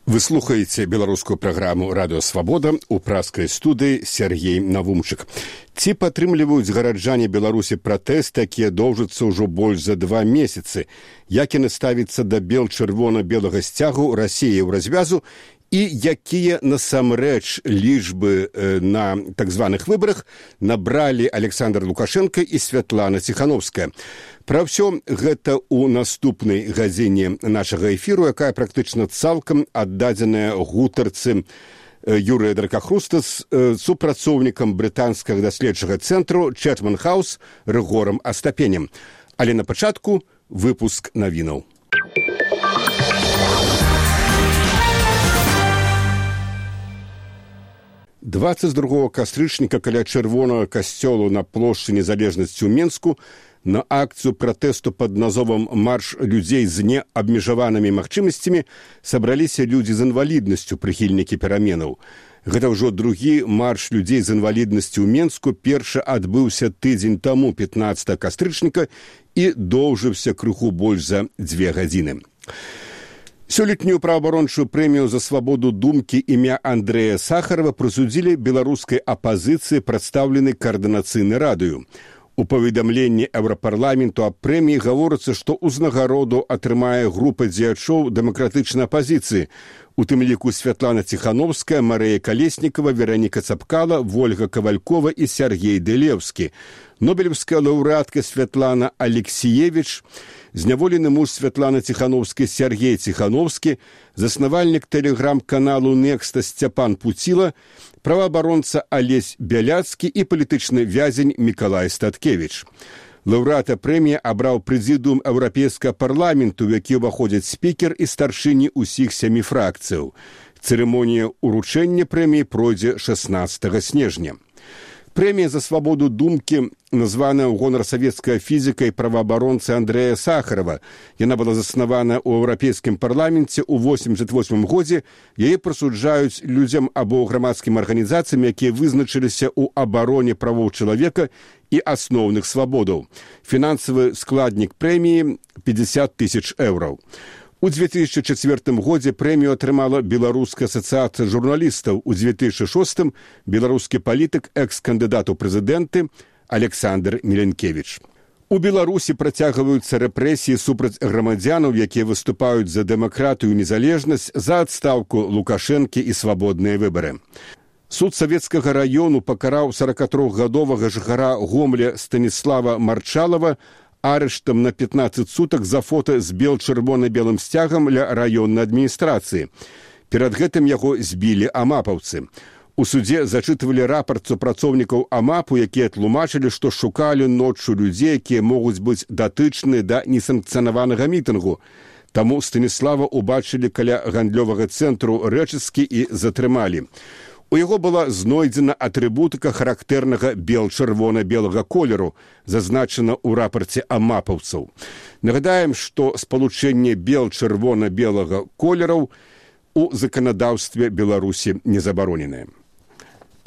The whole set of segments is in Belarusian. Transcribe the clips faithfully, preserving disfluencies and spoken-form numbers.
Вы слухаеце беларускую праграму «Радыё Свабода», у праскай студыі Сергей Навумчык. Ці падтрымліваюць гараджане Беларусі пратэст, якія доўжацца ўжо больш за два месяцы? Як яны ставяцца да бел-чырвона-белага сцягу Расіі ў развязу? І якія насамрэч лічбы э, на так званых выбарах набралі Александр Лукашенко і Святлана Ціхановская. Пра ўсё гэта ў наступнай гадзіне нашага эфіру, якая практычна цалкам аддадзеная гутарцы Юрыя Дракахрустас з супрацоўнікам брытанскага даследчага цэнтру Чэтман Хаус Рыгорам Астапенем. Але на пачатку выпуск навінаў. дваццаць другога кастрычніка каля чырвонага касцёлу на плошчы Незалежнасці ў Менску на акцыю пратэсту пад назовам «Марш людзей з неабмежаванымі магчымасцямі» сабраліся людзі з інваліднасцю, прыхільнікі пераменаў. Гэта ўжо другі марш людзей з інваліднасцю ў Менску. Першы адбыўся тыдзень таму, пятнаццатага кастрычніка, і доўжыўся крыху больш за дзве гадзіны. Сёлетнюю праваабарончую прэмію за свабоду думкі імя Андрэя Сахарова прысудзілі беларускай апазіцыі, прадстаўленай каардынацыйнай радаю. У паведамленні Еўрапарламенту аб прэміі гаворыцца, што ўзнагароду атрымае група дзеячоў дэмакратычнай апазіцыі, у тым ліку Святлана Ціхановская, Марыя Калеснікава, Вераніка Цапкала, Вольга Кавалькова і Сергей Дэлеўскі. Нобелевская лаўрэатка Святлана Алексіевіч, зняволены муж Святланы Ціхановскай Сергей Ціхановскі, заснавальнік тэлеграм-каналу «Некста» Сцяпан Пуціла, праваабаронца Алесь Бяляцкі і палітычны вязень Мікалай Статкевіч. Лаўрэата прэміі абраў прэзідыум Еўрапейскага парламенту, у які ўваходзяць спікер і старшыні ўсіх сямі фракцыяў. Цырымонія ўручэння прэміі пройдзе шаснаццатага снежня. Прэмія за свабоду думкі названая ў гонар савецкага фізіка і праваабаронцы Андрэя Сахарова. Яна была заснавана ў Еўрапейскім парламенце ў восемьдзесят восьмым годзе. Яе прысуджаюць людзям або грамадскім арганізацыям, якія вызначыліся ў абароне правоў чалавека і асноўных свабодаў. Фінансавы складнік прэміі пятьдесят тысяч еўраў. У две тысячи четвёртым годзе прэмію атрымала Беларуская асацыяцыя журналістаў. У две тысячи шостым беларускі палітык, экс-кандыдат у прэзідэнты Александр Міленкевіч. У Беларусі працягваюцца рэпрэсіі супраць грамадзянаў, якія выступаюць за дэмакратыю і незалежнасць, за адстаўку Лукашэнкі і свабодныя выбары. Суд Савецкага раёну пакараў сорокатрохгадовага жыхара Гомля Станіслава Марчалова арыштам на пятнаццаць сутак за фота з бел-чырвона-белым сцягам ля раённай адміністрацыі. Перад гэтым яго збілі амапаўцы. У судзе зачытвалі рапарт супрацоўнікаў амапу, якія тлумачылі, што шукалі ноччу людзей, якія могуць быць датычныя да несанкцыянаванага мітынгу. Таму Станіслава ўбачылі каля гандлёвага цэнтру рэчыскі і затрымалі. У яго была знойдзена атрыбутыка характэрнага бел-чырвона-белага колеру, зазначана ў рапарце амапаўцаў. Нагадаем, што спалучэнне бел-чырвона-белага колераў у заканадаўстве Беларусі не забароненае.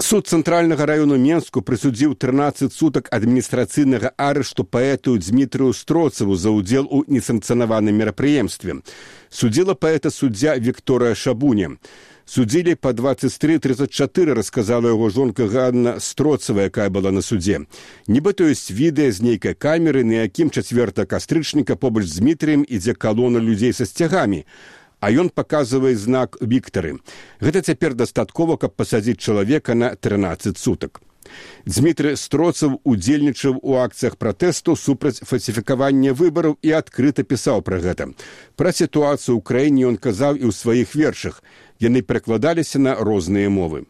Суд Цэнтральнага раёну Менску прысудзіў трынаццаць сутак адміністрацыйнага арышту паэту Дзмітрыю Строцаву за ўдзел у несанкцыянаваным мерапрыемстве. Судзіла паэта суддзя Вікторыя Шабуня. Судзілі па двадцать три тридцать четыре, расказала яго жонка Ганна Строцава, якая была на судзе. Нібыта ёсць відэа з нейкай камеры, на якім чацвёртага кастрычніка побач з Дмітрыем ідзе калона людзей са сцягамі, а ён паказвае знак «Віктары». Гэта цяпер дастаткова, каб пасадзіць чалавека на трынаццаць сутак. Дзмітрый Строцаў удзельнічаў у акцыях пратэсту супраць фальсіфікавання выбараў і адкрыта пісаў пра гэта. Пра сітуацыю ў краіне ён казаў і ў сваіх вершах. Яны перакладаліся на розныя мовы.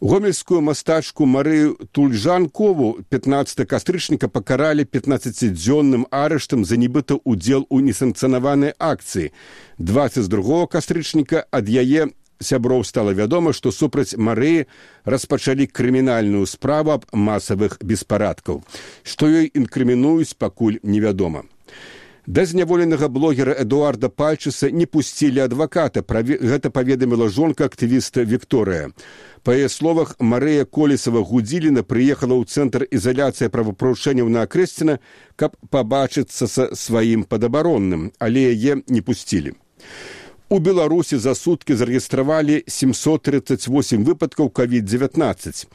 Гомельскую мастачку Марыю Тульжанкову пятнаццатага кастрычніка пакаралі пятнаццацідзённым арыштам за нібыта ўдзел у несанкцыянаванай акцыі. двадцать другога кастрычніка ад яе сяброў стала вядома, што супраць Марыі распачалі крымінальную справу аб масавых беспарадкаў. Што ёй інкрымінуюць, пакуль невядома. Да зняволенага блогера Эдуарда Пальчыса не пусцілі адваката. Гэта паведаміла жонка актывіста Вікторыя. Па яе словах, Марыя Колесава-Гудзіліна прыехала ў цэнтр ізаляцыі правапарушэнняў на Акрэсціна, каб пабачыцца са сваім падабаронным, але яе не пусцілі. У Беларусі за суткі зарэгістравалі сямьсот тридцать восемь выпадкаў ковід девятнадцать.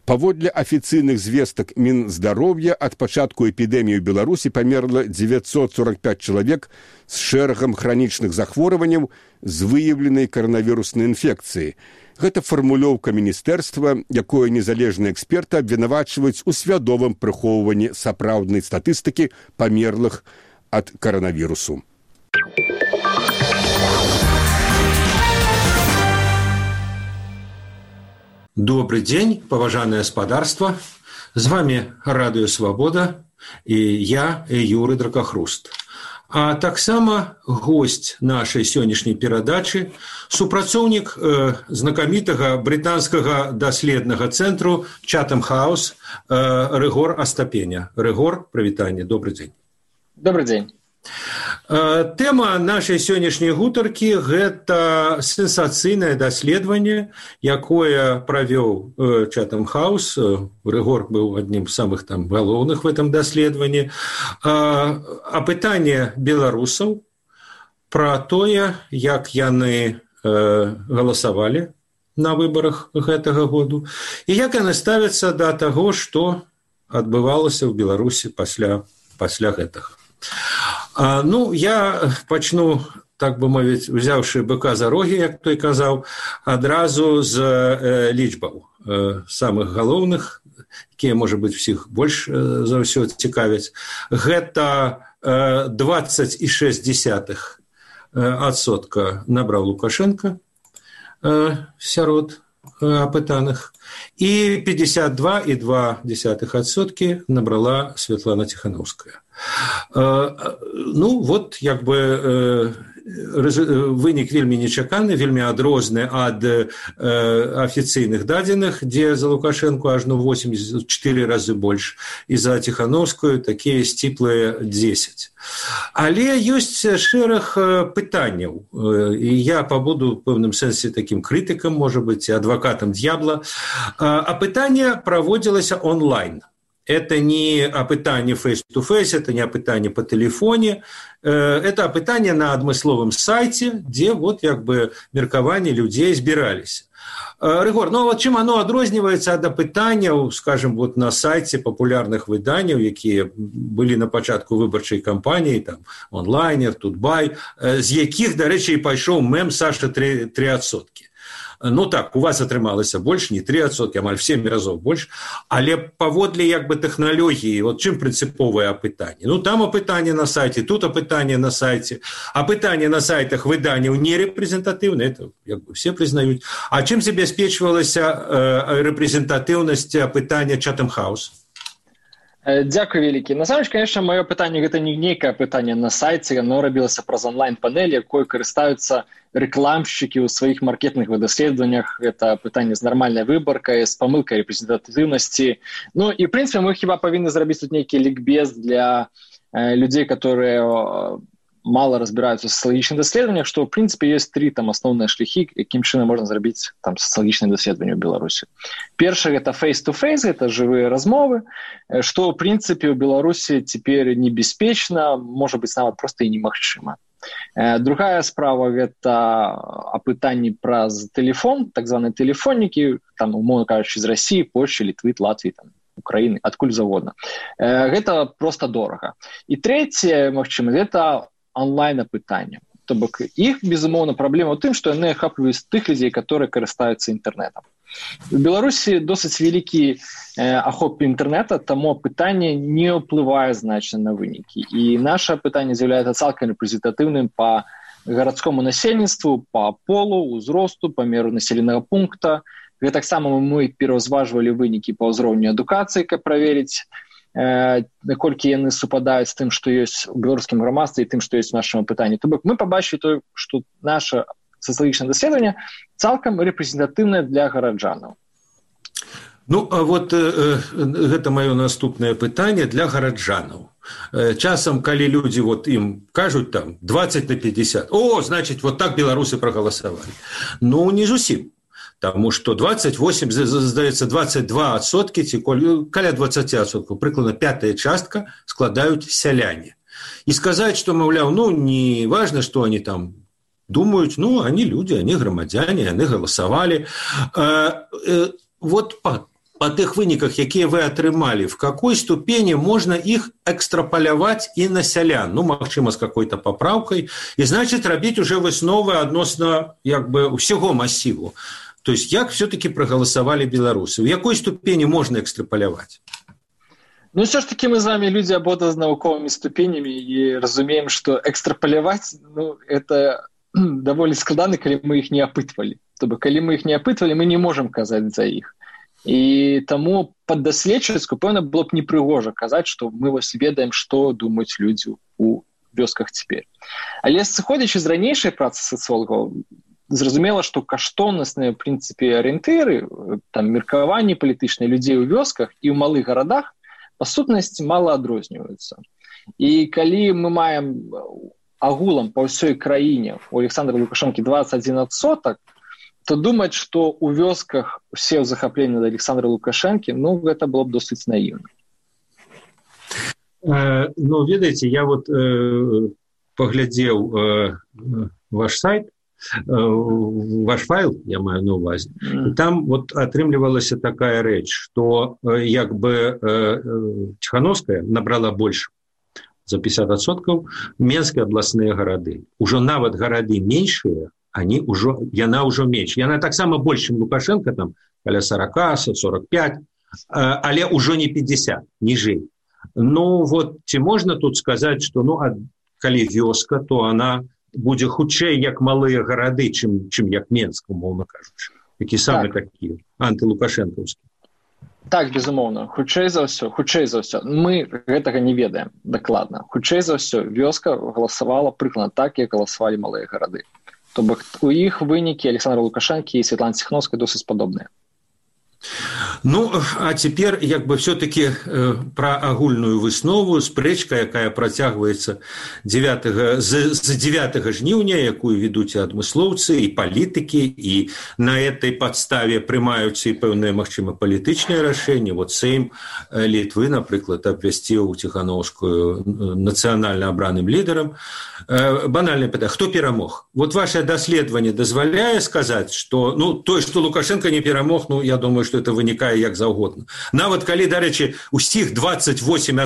Паводле афіцыйных звестак Мінздароўя, ад пачатку эпідэміі ў Беларусі памерла девятьсот сорок пять чалавек з шэрагам хранічных захворванняў з выяўленай каранавіруснай інфекцыі. Гэта фармулёўка міністэрства, якое незалежныя эксперты абвінавачваюць у свядомым прыхоўванні сапраўднай статыстыкі памерлых ад каранавірусу. Добрый день, поважанное господарство. С вами Радио Свобода и я, Юрий Дракохруст. А так само гость нашей сегодняшней передачи, супрацоўнік э, знакамітага британского доследного центру Chatham House э, Рыгор Астапеня. Рыгор, привитание, добрый день. Добрый день. Тэма нашай сённяшняй гутаркі – гэта сенсацыйнае даследаванне, якое правёў Chatham House. Рыгор быў адным з самых там галоўных в этом даследаванні. Апытанне беларусаў пра тое, як яны галасавалі на выбарах гэтага году і як яны ставяцца да таго, што адбывалася ў Беларусі пасля, пасля гэтага. А, ну, я пачну, так бы мовіць, узяўшы быка за рогі, як той казаў, адразу з э, лічбаў э, самых галоўных, якія, можа быць, усіх больш э, за ўсё цікавяць. Гэта э, двадцать і шэсць дзесятых адсотка набраў Лукашенко э, сярод э, апытаных, і пятьдесят два і два десятых адсоткі набрала Светлана Тихановская. Ну, вот, як бы, вынік вельмі нечаканы, вельмі адрозны ад афіцыйных дадзеных, дзе за Лукашенко ажно восемьдесят четыре разы больш, і за Тихановскую такія сціплыя дзесяць. Але ёсць шэраг пытанняў, і я пабуду в пэўным сэнсе такім крытыкам, можа быць, адвакатам д'ябла. Апытанне праводзілася онлайн. Это не опытание face-to-face, это не опытание по телефоне, это опытание на адмысловым сайте, где вот як бы меркаванне людей збіраліся. Рыгор, ну вот чым оно адрозніваецца ад апытанняў, скажем, вот на сайте популярных выданняў, якія былі на пачатку выбарчай кампаніі, там, онлайнер, Тутбай, з якіх, дарэчы, і пайшоў мем Саша три адсоткі. Ну так, у вас атрымалася больш, не три адсоткі, амаль в семь разоў больш, але паводле як бы тэхналогіі, вот чым прынцыповае апытанне? Ну там апытанне на сайце, тут апытанне на сайце, апытанне на сайтах выданняў не рэпрэзентатыўна, это як бы все прызнаюць. А чым забяспечвалася э, рэпрэзентатыўнасць апытання Chatham House? Дякую вялікі. Насамрэч, конечно, маё пытанне гэта не нейкае пытанне на сайце, оно рабілася праз онлайн-панель, якой карыстаюцца рэкламшчыкі ў сваіх маркетынгавых даследаваннях. Это пытанне з нармальнай выбаркай, з памылкай рэпрэзентатыўнасці. Ну і, в прынцыпе, мы хіба павінны зрабіць тут нейкі лікбез для э, людзей, которые мало разбираются в социологічных даследаваннях, что, в принципе, есть три там основные шляхи, яким чынам можно зрабіць там социологічнае даследаванне ў Беларусі. Першае это face-to-face, это живые размовы, что, в принципе, у Беларусі теперь небяспечна, может быть, нават просто и немагчыма. Другая справа это апытанні праз телефон, так званыя телефоннікі, там, умоўна кажучы, з России, Польши, Литвы, Латвии, там, Украины, адкуль заводна. Гэта просто дорага. І трэцяе, магчыма, гэта онлайн-апытанне. То бок іх, безумоўна, праблема ў тым, што яны ахапліваюць тых людзей, которые карыстаюцца інтэрнэтам. У Беларусі досыць вялікі э, ахоп інтэрнэта, таму апытанне не ўплывае значна на вынікі. І наша апытанне з'яўляецца цалкам рэпрэзентатыўным па гарадскому насельніцтву, па полу, узросту, памеру населенага пункта. Гэтаксама мы пераўзважвалі вынікі па ўзроўню адукацыі, каб праверыць, наколькі яны супадаюць з тым, што ёсць у беларускім грамадстве і тым, што ёсць у нашым апытанні. То бок мы пабачылі тое, што наша сацыялагічнае даследаванне цалкам рэпрэзентатыўнае для гараджанаў. Ну, а вот э, гэта маё наступнае пытанне для гараджанаў. Э, часам, калі людзі вот ім кажуць там двадцать на пятьдесят, о, значит, вот так беларусы прагаласавалі. Ну, не зусім. Тому что двадцать восемь, здаецца, двадцать два адсоткі, ці каля двадцать адсоткаў, прыкладна пятая частка складаюць сяляне. І сказаць, што, маўляў, ну, не важно, што они там думают, ну, они люди, они громадяне, они голосовали. Вот по, по тех выніках, якія вы атрымалі, в какой ступени можно их экстраполяваць и на сялян, ну, магчыма, с какой-то поправкой, и, значит, рабіць уже высновы адносна, як бы, усяго массиву. То есть, як все-таки проголосовали белорусы? В какой ступени можно экстраполяваць? Ну, все ж таки мы с вами люди обода с науковыми ступенями и разумеем, что экстраполяваць, ну, это даволі складана, калі мы их не опытывали. То бок, калі мы их не опытывали, мы не можем казаць за их. И тому паддаследчыцку, пэўна, было б непрыгожа казаць, што мы вось ведаем, што думаюць людзі у вёсках цяпер. Але сыходзячы з ранейшай працы сацыолагаў, зразумела, што каштоўнасныя, в прынцыпе, арыентыры, там, меркаванні палітычныя людзей у вёсках і ў малых гарадах, па сутнасці, мала адрозніваюцца. І калі мы маем агулам па ўсёй краіне у Александра Лукашэнкі двадцать один адсотак, то думаць, што ў вёсках усе ў захапленні да Александра Лукашэнкі, ну, гэта было б досыць наіўна. Э, ну, ведаеце, я вот э, паглядзеў э, ваш сайт, э, ваш файл, я маю на увазе, mm. і там вот атрымлівалася такая рэч, што э, як бы э, Ціхановская набрала больш за пятьдесят адсоткаў, менскія абласныя гарады. Ужо нават гарады меншыя, они уже, яна ўжо менш. Яна таксама больш, чым Лукашенко, там, каля сорок, сорок пять, але ўжо не пятьдесят, ніжэй. Ну, вот, ці можна тут сказаць, што, ну, а калі вёска, то она будзе хутчэй, як малыя гарады, чым, чым як Менск, умоўна кажучы. Які самы так. Такі антылукашэнкаўскі. Так, безумоўна, хутчэй за ўсё, хутчэй за ўсё. Мы гэтага не ведаем дакладна. Хутчэй за ўсё, вёска галасавала прыкладна так, як галасавалі малыя гарады. То бок у іх вынікі Александра Лукашэнкі і Святланы Ціхановскай досыць падобныя. Ну, а цяпер, як бы, все-таки э, пра агульную выснову, спрэчка, якая працягваецца дзевятага, з, з дзевятага жніўня, якую ведуць і адмыслоўцы, і палітыкі, і на этой падставе прымаюцца і пэўныя, магчыма, палітычныя рашэнні. Вот Сейм Літвы, напрыклад, абвясціў Ціхановскую нацыянальна абраным лідарам. Э, банальнае пытанне, хто перамог? Вот ваше даследаванне дазваляе сказаць, што, ну, той, што Лукашенко не перамог, ну, я думаю, что это вынікае як заўгодна. Нават калі, дарэчы, усіх двадцать восемь,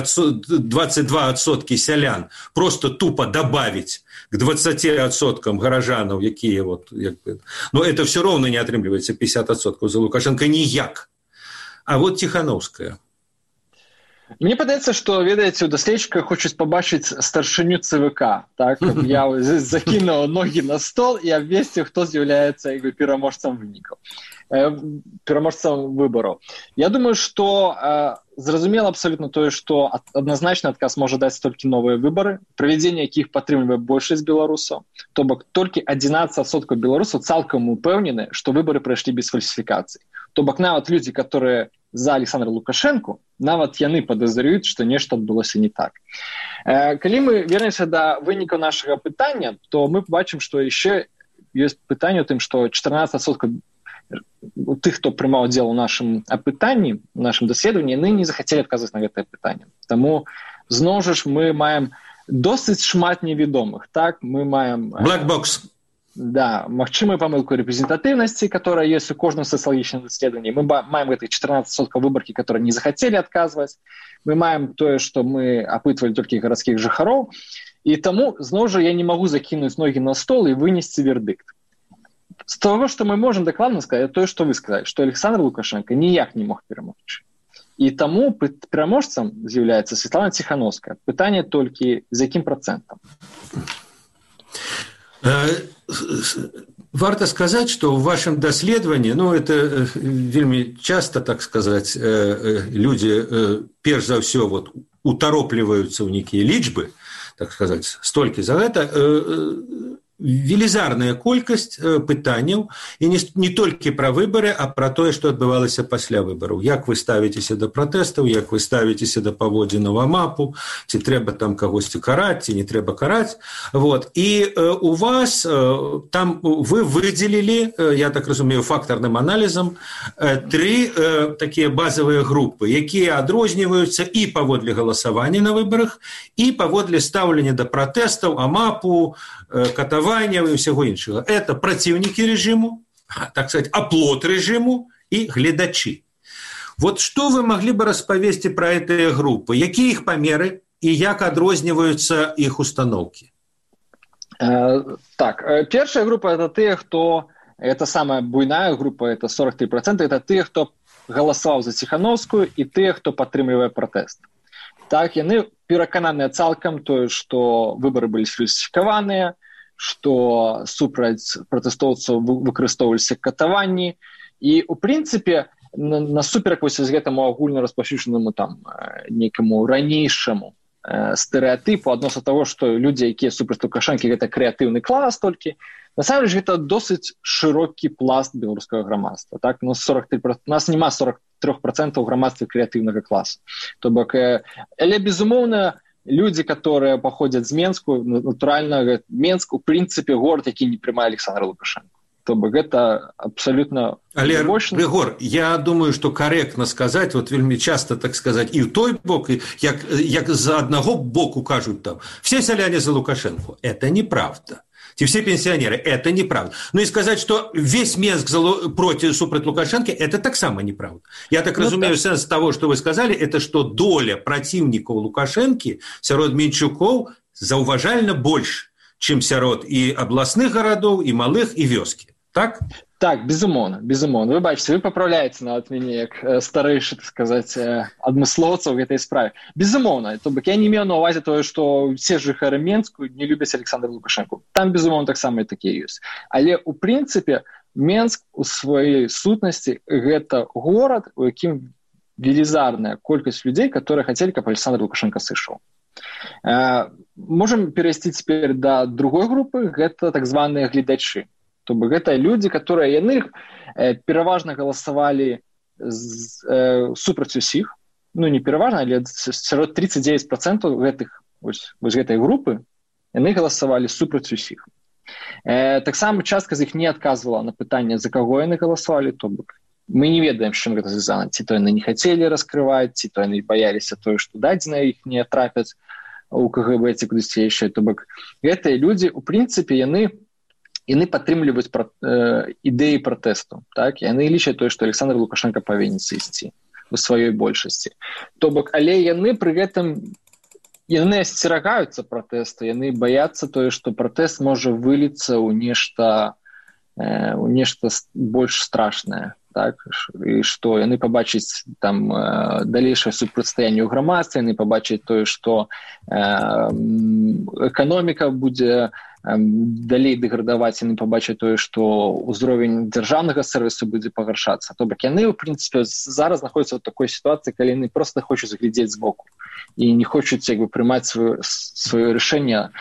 двадцать два адсоткі сялян просто тупо добавить к двадцати адсоткам гаражанаў, якія вот, як бы, но это все равно не атрымліваецца пятьдесят адсоткаў за Лукашенко ніяк. А вот Ціхановская. Мне падаецца, што, ведаеце, у даследчыка хочуць пабачыць старшыню ЦВК, так, каб я закінуў ногі на стол і абвесціў, хто з'яўляецца пераможцам вынікаў, пераможцам выбараў. Я думаю, што э, зразумела абсалютна тое, што адназначны адказ можа даць толькі новыя выбары, правядзенне якіх падтрымлівае большасць беларусаў, то бок толькі адзінаццаць адсоткаў беларусаў цалкам упэўнены, што выбары прайшлі без фальсіфікацый. То бок нават людзі, которые за Александра Лукашэнку, нават яны падазрююць, што нешта адбылося не так. Э, калі мы вернемся да вынікаў нашага пытання, то мы побачым, што яшчэ ёсць пытанне ў тым, што чатырнаццаць адсоткаў тых, хто прымаў удзел у нашым апытанні, у нашым даследаванні, яны не захацелі адказваць на гэтае пытанне. Таму, зноў жа ж, мы маем досыць шмат невядомых. Так, мы маем... Black box. Да, магчымую памылку рэпрэзентатыўнасці, которая ёсць у кожным сацыялагічным даследаванні. Мы маем гэтых чатырнаццаць адсоткаў выбаркі, которые не захацелі адказваць. Мы маем тое, што мы апытвалі толькі гарадскіх жыхароў. І таму, зноў жа, я не магу закінуць ногі на стол і вынесці вердыкт. З того, што мы можам дакладна сказаць, тое, што вы сказалі, што Александр Лукашенко ніяк не мог перамогчы. І таму пераможцам з'яўляецца Святлана Ціхановская. Пытанне толькі, з якім працэнтам? Варта сказаць, што ў вашым даследаванні, ну, это вельмі часта, так сказаць, людзі, перш за ўсё, вот, утаропліваюцца ў нейкія лічбы, так сказаць, столькі за гэта, велізарная колькасць пытанняў, і не, не толькі пра выбары, а пра тое, што адбывалася пасля выбараў. Як вы ставіцеся да пратэстаў, як вы ставіцеся да паводзінаў АМАПу, ці трэба там кагосьці караць, ці не трэба караць. Вот. І э, у вас э, там вы выдзелілі, э, я так разумею, фактарным аналізам, э, тры э, такія базавыя групы, якія адрозніваюцца і паводле галасавання на выбарах, і паводле стаўлення да пратэстаў, АМАПу, э, катавання, навальнева і ўсяго іншага. Это праціўнікі рэжыму, так сказать, аплот рэжыму і гледачы. Вот што вы маглі бы распавесці пра гэтыя групы? Якія іх памеры і як адрозніваюцца іх установкі? Э, так, першая група – это тыя, хто... Это самая буйная група, это сорок три процента, это тыя, хто галасаваў за Ціхановскую і тыя, хто падтрымлівае пратэст. Так, яны перакананыя цалкам тое, што выбары былі сфальсіфікаваныя, што супраць пратэстоўцаў выкарыстоўваліся катаванні, і, у прынцыпе, насуперак вось з гэтаму агульна распаўсюджанаму там нейкаму ранейшаму стэрэатыпу адносна таго, што людзі, якія супраць Лукашэнкі, гэта крэатыўны клас толькі, насамрэч гэта досыць шырокі пласт беларускага грамадства. Так? У нас, сорок три процента, у нас няма сорок три процента грамадства крэатыўнага класа. То бок, але, безумоўна, людзі, которые паходзяць з Менску, натуральна, Менск, у прынцыпе, горад, які не прымае Александра Лукашенко. То бок, гэта абсалютна... Але, Рыгор, я думаю, што карэктна сказаць, вот вельмі часта, так сказаць, і ў той бок, як, як з аднаго боку кажуць там, все сяляне за Лукашенко. Это неправда. И все пенсионеры. Это неправда. Ну и сказать, что весь Минск против супраць Лукашенко, это так само неправда. Я так ну, разумею, так. Сенс того, что вы сказали, это что доля противников Лукашенко сярод менчуков заўважальна больше, чем сярод и областных городов, и малых, и вёски. Так? Так, безумоўна, безумоўна. Вы бачыце, вы папраўляеце нават мяне як э, старэйшы, так сказаць, э, адмыслоўца ў гэтай справе. Безумоўна, то бок я не меў на ўвазе тое, што все жыхары Менску не любяць Александра Лукашенко. Там, безумоўна, таксама і такія ёсць. Але, у прынцыпе, Менск у сваёй сутнасці гэта горад, у якім велізарная колькасць людзей, которые хацелі, каб Александр Лукашенко сышоў. Э, можам перайсці цяпер да другой групы, гэта так званыя гледачы. То бок гэта людзі, которые яны э, пераважна галасавалі з, э, супраць усіх, ну не пераважна, але сярод тридцать девять процентов гэтых вось, вось гэтай групы яны галасавалі супраць усіх. Э, таксама частка з іх не адказвала на пытанне, за каго яны галасавалі, то бок мы не ведаем, з чым гэта звязана, ці то яны не хацелі раскрываць, ці то яны баяліся тое, што дадзеныя іх не трапяць у КГБ ці кудысьці яшчэ. То бок гэтыя людзі, у прынцыпе, яны яны падтрымліваюць пра, э, ідэі пратэсту. Так? Яны лічаць тое, што Александр Лукашенко павінен сысці у сваёй большасці. То бок, але яны пры гэтым яны асцерагаюцца пратэсту, яны баяцца тое, што пратэст можа выліцца ў нешта, э, ў нешта больш страшнае. Так? І што яны пабачаць там э, далейшае супрацьстаянне ў грамадстве, яны пабачаць тое, што э, эканоміка будзе далей дэградаваць, яны пабачаць тое, што ўзровень дзяржаўнага сэрвісу будзе пагаршацца. То бок яны, у прынцыпе, зараз знаходзяцца ў такой сітуацыі, калі яны проста хочуць глядзець збоку і не хочуць як бы прымаць сваё рашэнне.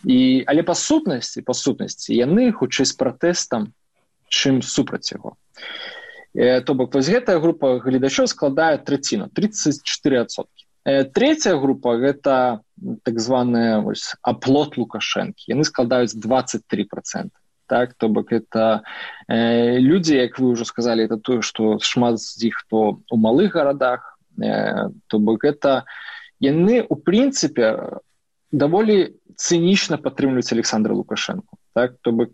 І, але па сутнасці, па сутнасці, яны хутчэй з пратэстам, чым супраць яго. Э, то бок вось гэтая група гледачоў складае траціну, тридцать четыре процента. Третья група – гэта так званая вось, аплот Лукашэнкі. Яны складаюць двадцать три процента. Так? То бок это э, людзі, як вы ўжо сказалі, это тое, што шмат з іх хто у малых гарадах. Э, то бок это яны, у прынцыпе, даволі цынічна падтрымліваюць Александра Лукашэнку. Так? То бок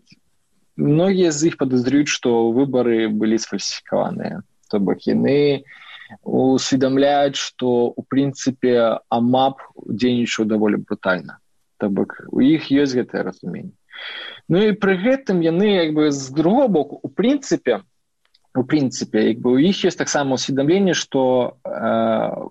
многія з іх падазрююць, што выбары былі сфальсіфікаваныя. То бок яны усведомляюць, што у прынцыпе АМАП дзейнічаў даволі брутальна. То бок у іх ёсць гэтае разуменне. Ну і пры гэтым яны як бы з другого боку у прынцыпе у прынцыпе як бы у іх ёсць таксама усведомленне, што э,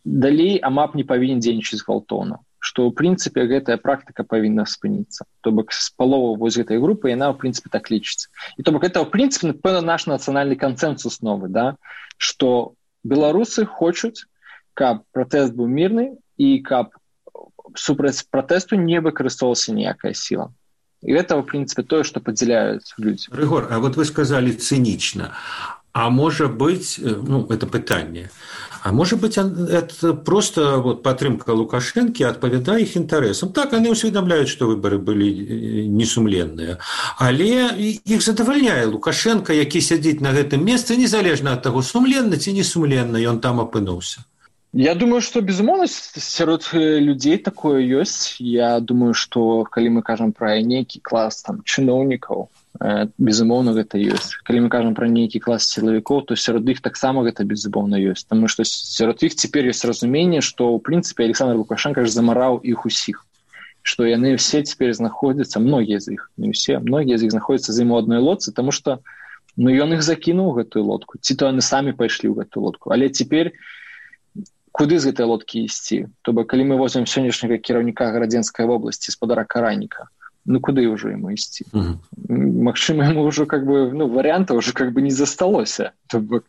далей АМАП не павінен дзейнічаць гвалтоўна, што ў прынцыпе гэтая практыка павінна спыніцца. То бок з паловы вось гэтай групы яна ў прынцыпе так лічыцца. І то бок гэта ў прынцыпе напэўна наш нацыянальны кансэнсус новы, да, што беларусы хочуць, каб пратэст быў мірны і каб супраць пратэсту не выкарыстоўвалася ніякая сіла. І гэта, в прынцыпе, тое, што падзяляюць людзі. Рыгор, а вот вы сказалі цынічна. А можа быць, ну, это пытанне, а можа быць, это просто вот, падтрымка Лукашэнкі адпавядае іх інтарэсам. Так, яны ўсведамляюць, што выбары былі несумленныя. Але іх задавальняе Лукашенко, які сядзіць на гэтым месцы, незалежна ад таго, сумленна ці несумленна ён там апынуўся. Я думаю, што безумоўна сярод людзей такое ёсць. Я думаю, што калі мы кажам пра нейкі клас там чыноўнікаў, безумоўна гэта ёсць. Калі мы кажам пра нейкі клас сілавікоў, то сярод іх таксама гэта безумоўна ёсць, таму што сярод іх цяпер ёсць разуменне, што ў прынцыпе Александр Лукашенко ж замараў іх усіх, што яны ўсе цяпер знаходзяцца, многія з іх, не ўсе, многія з іх знаходзяцца за ім у адной лодцы, таму што ну ён іх закінуў гэтую лодку, ці то яны самі пайшлі ў гэтую лодку, але цяпер куды з гэтай лодкі ісці? То бок калі мы возьмем сённяшняга кіраўніка Гарадзенскай вобласці спадара Караніка, ну куды ўжо яму ісці? Uh-huh. Магчыма, яму ўжо как бы, ну, варыянта ўжо как бы не засталося. То бок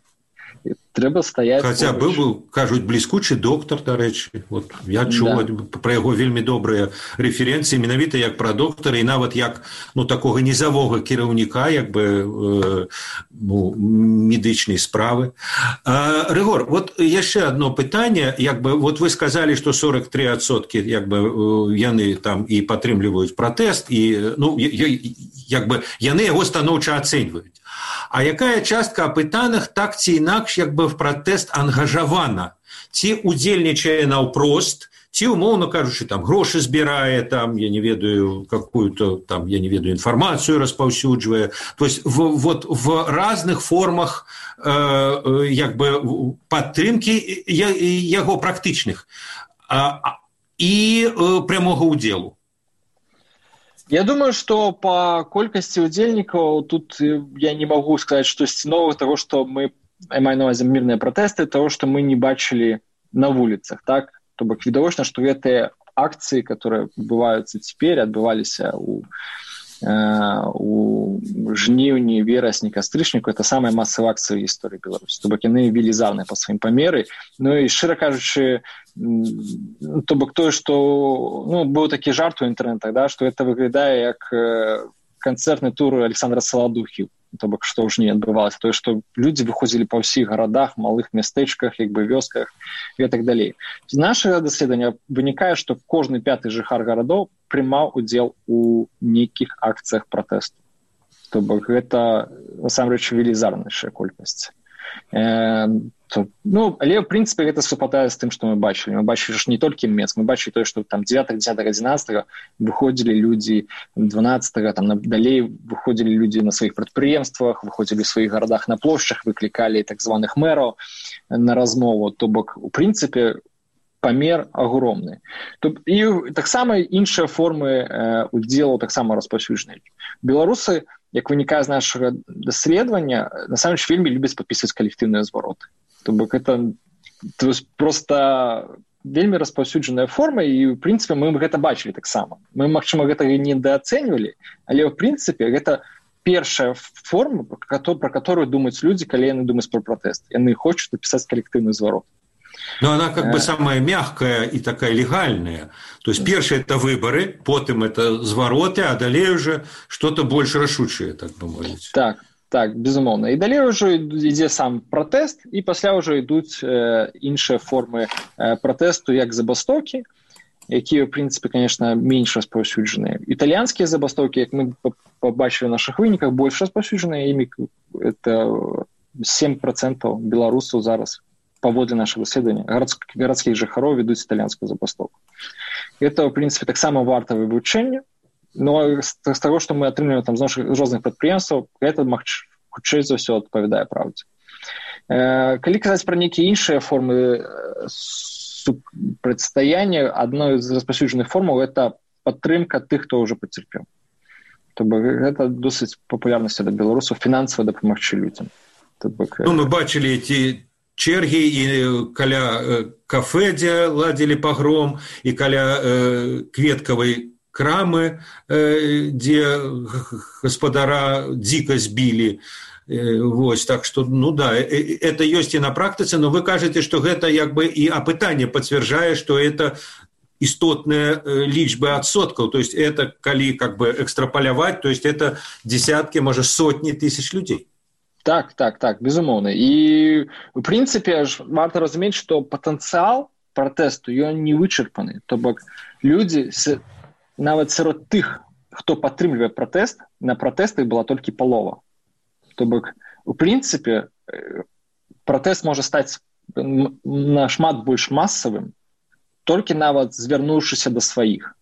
трэба стаяць. Хаця быў быў, кажуць, бліскучы доктар, дарэчы. Вот я чуў да. пра яго вельмі добрыя рэферэнцыі, менавіта як пра доктара і нават як ну такога нізавога кіраўніка, як бы э, ну, медычнай справы. А, Рыгор, вот яшчэ одно пытанне, як бы вот вы сказалі, што сорок три адсоткі як бы яны там і падтрымліваюць пратэст і ну як бы яны яго станоўча ацэньваюць. А якая частка апытаных так ці інакш як бы в пратэст ангажавана? Ці удзельнічае наўпрост, ці, умоўна кажучы, там грошы збірае, там, я не ведаю, какую-то там, я не ведаю, інфармацыю распаўсюджвае. То есть в, вот в разных формах э, як бы падтрымкі яго практычных а, і э, прямога ўдзелу. Я думаю, што па колькасці удзельнікаў тут я не магу сказаць штосьці новага таго, што мы, я маю на ўвазе мірныя пратэсты, таго, што мы не бачылі на вуліцах, так? То бок відавочна, што гэтыя акцыі, которые адбываюцца цяпер, адбываліся ў у жніўні, верасні, кастрычніку, это самая масавая акцыя ў гісторыі Беларусі. То бок яны велізарныя па сваім памеры. Ну і шчыра кажучы, то бок тое, што ну, быў такі жарт у інтэрнетах, да, што это выглядае як канцэртны тур Александра Саладухі. То бок што ўжо не адбывалася, тое, што людзі выходзілі па ўсіх гарадах, малых мястэчках, як бы вёсках і так далей. З нашага даследавання вынікае, што кожны пяты жыхар гарадоў прымаў удзел у нейкіх акцыях пратэсту. То бок гэта насамрэч велізарнейшая колькасць. Э, то, ну, але, в прынцыпе, гэта супадае з тым, што мы бачылі. Мы бачылі ж не толькі Мінск, мы бачылі тое, што там дзевятага, дзесятага, адзінаццатага выходзілі людзі, дванаццатага, там далей выходзілі людзі на сваіх прадпрыемствах, выходзілі ў сваіх гарадах на плошчах, выклікалі так званых мэраў на размову. То бок, у прынцыпе, памер агромны. І таксама іншыя формы э, удзелу таксама распаўсюджаныя. Беларусы, як вынікае з нашага даследавання, насамрэч вельмі любяць падпісваць калектыўныя звароты. То бок это то есть, просто вельмі распаўсюджаная форма, і, в прынцыпе, мы гэта бачылі таксама. Мы, магчыма, гэтага недаацэньвалі, але, в прынцыпе, гэта першая форма, пра которую думаюць людзі, калі яны думаюць пра пратэст. Яны хочуць напісаць калектыўны зварот. Но она как бы самая мягкая и такая легальная. То есть первое это выборы, потом это звороты, а далее уже что-то больше рашучее, так бы мовить. Так, так, безумовно. И далее уже идет сам протест, и после уже идут э, іншие формы э, протесту, як забастоўкі, якія, в принципе, конечно, меньше распаўсюджаныя. Итальянские забастоўкі, як мы побачили в наших выніках, больше распаўсюджаныя, імі это сем процентов беларусаў зараз. Паводле нашего исследования, городских жыхароў ведуць итальянскую забастовку. Это, в принципе, таксама варта вывучэння, но з таго, што мы атрымліваем там з нашых розных прадпрыемстваў, гэта хутчэй за ўсё адпавядае праўдзе. Калі казаць пра нейкія іншыя формы супрацьстаяння, адной з распаўсюджаных формаў это падтрымка тых, хто ўжо пацярпеў. То бок гэта досыць папулярна сярод беларусаў фінансава дапамагчы людзям. Ну, мы бачылі эти черги і каля кафе, дзе ладзілі пагром, і каля э, кветкавай крамы, э, дзе гаспадара дзіка збілі. Э, вось, так што, ну да, э, это ёсць і на практыцы, но вы кажаце, што гэта як бы і апытанне пацвярджае, што это істотныя лічбы адсоткаў, то есть это, калі как бы экстраполяваць, то есть это десяткі, можа, сотні тысяч людзей. Так, так, так, безумоўна. І, у прынцыпе, варта разумець, што патэнцыял пратэсту, ён не вычарпаны. То бок, людзі, нават сярод тых, хто падтрымлівае пратэст, на пратэстах была толькі палова. То бок, у прынцыпе, пратэст можа стаць нашмат больш масавым, толькі нават звярнуўшыся да сваіх,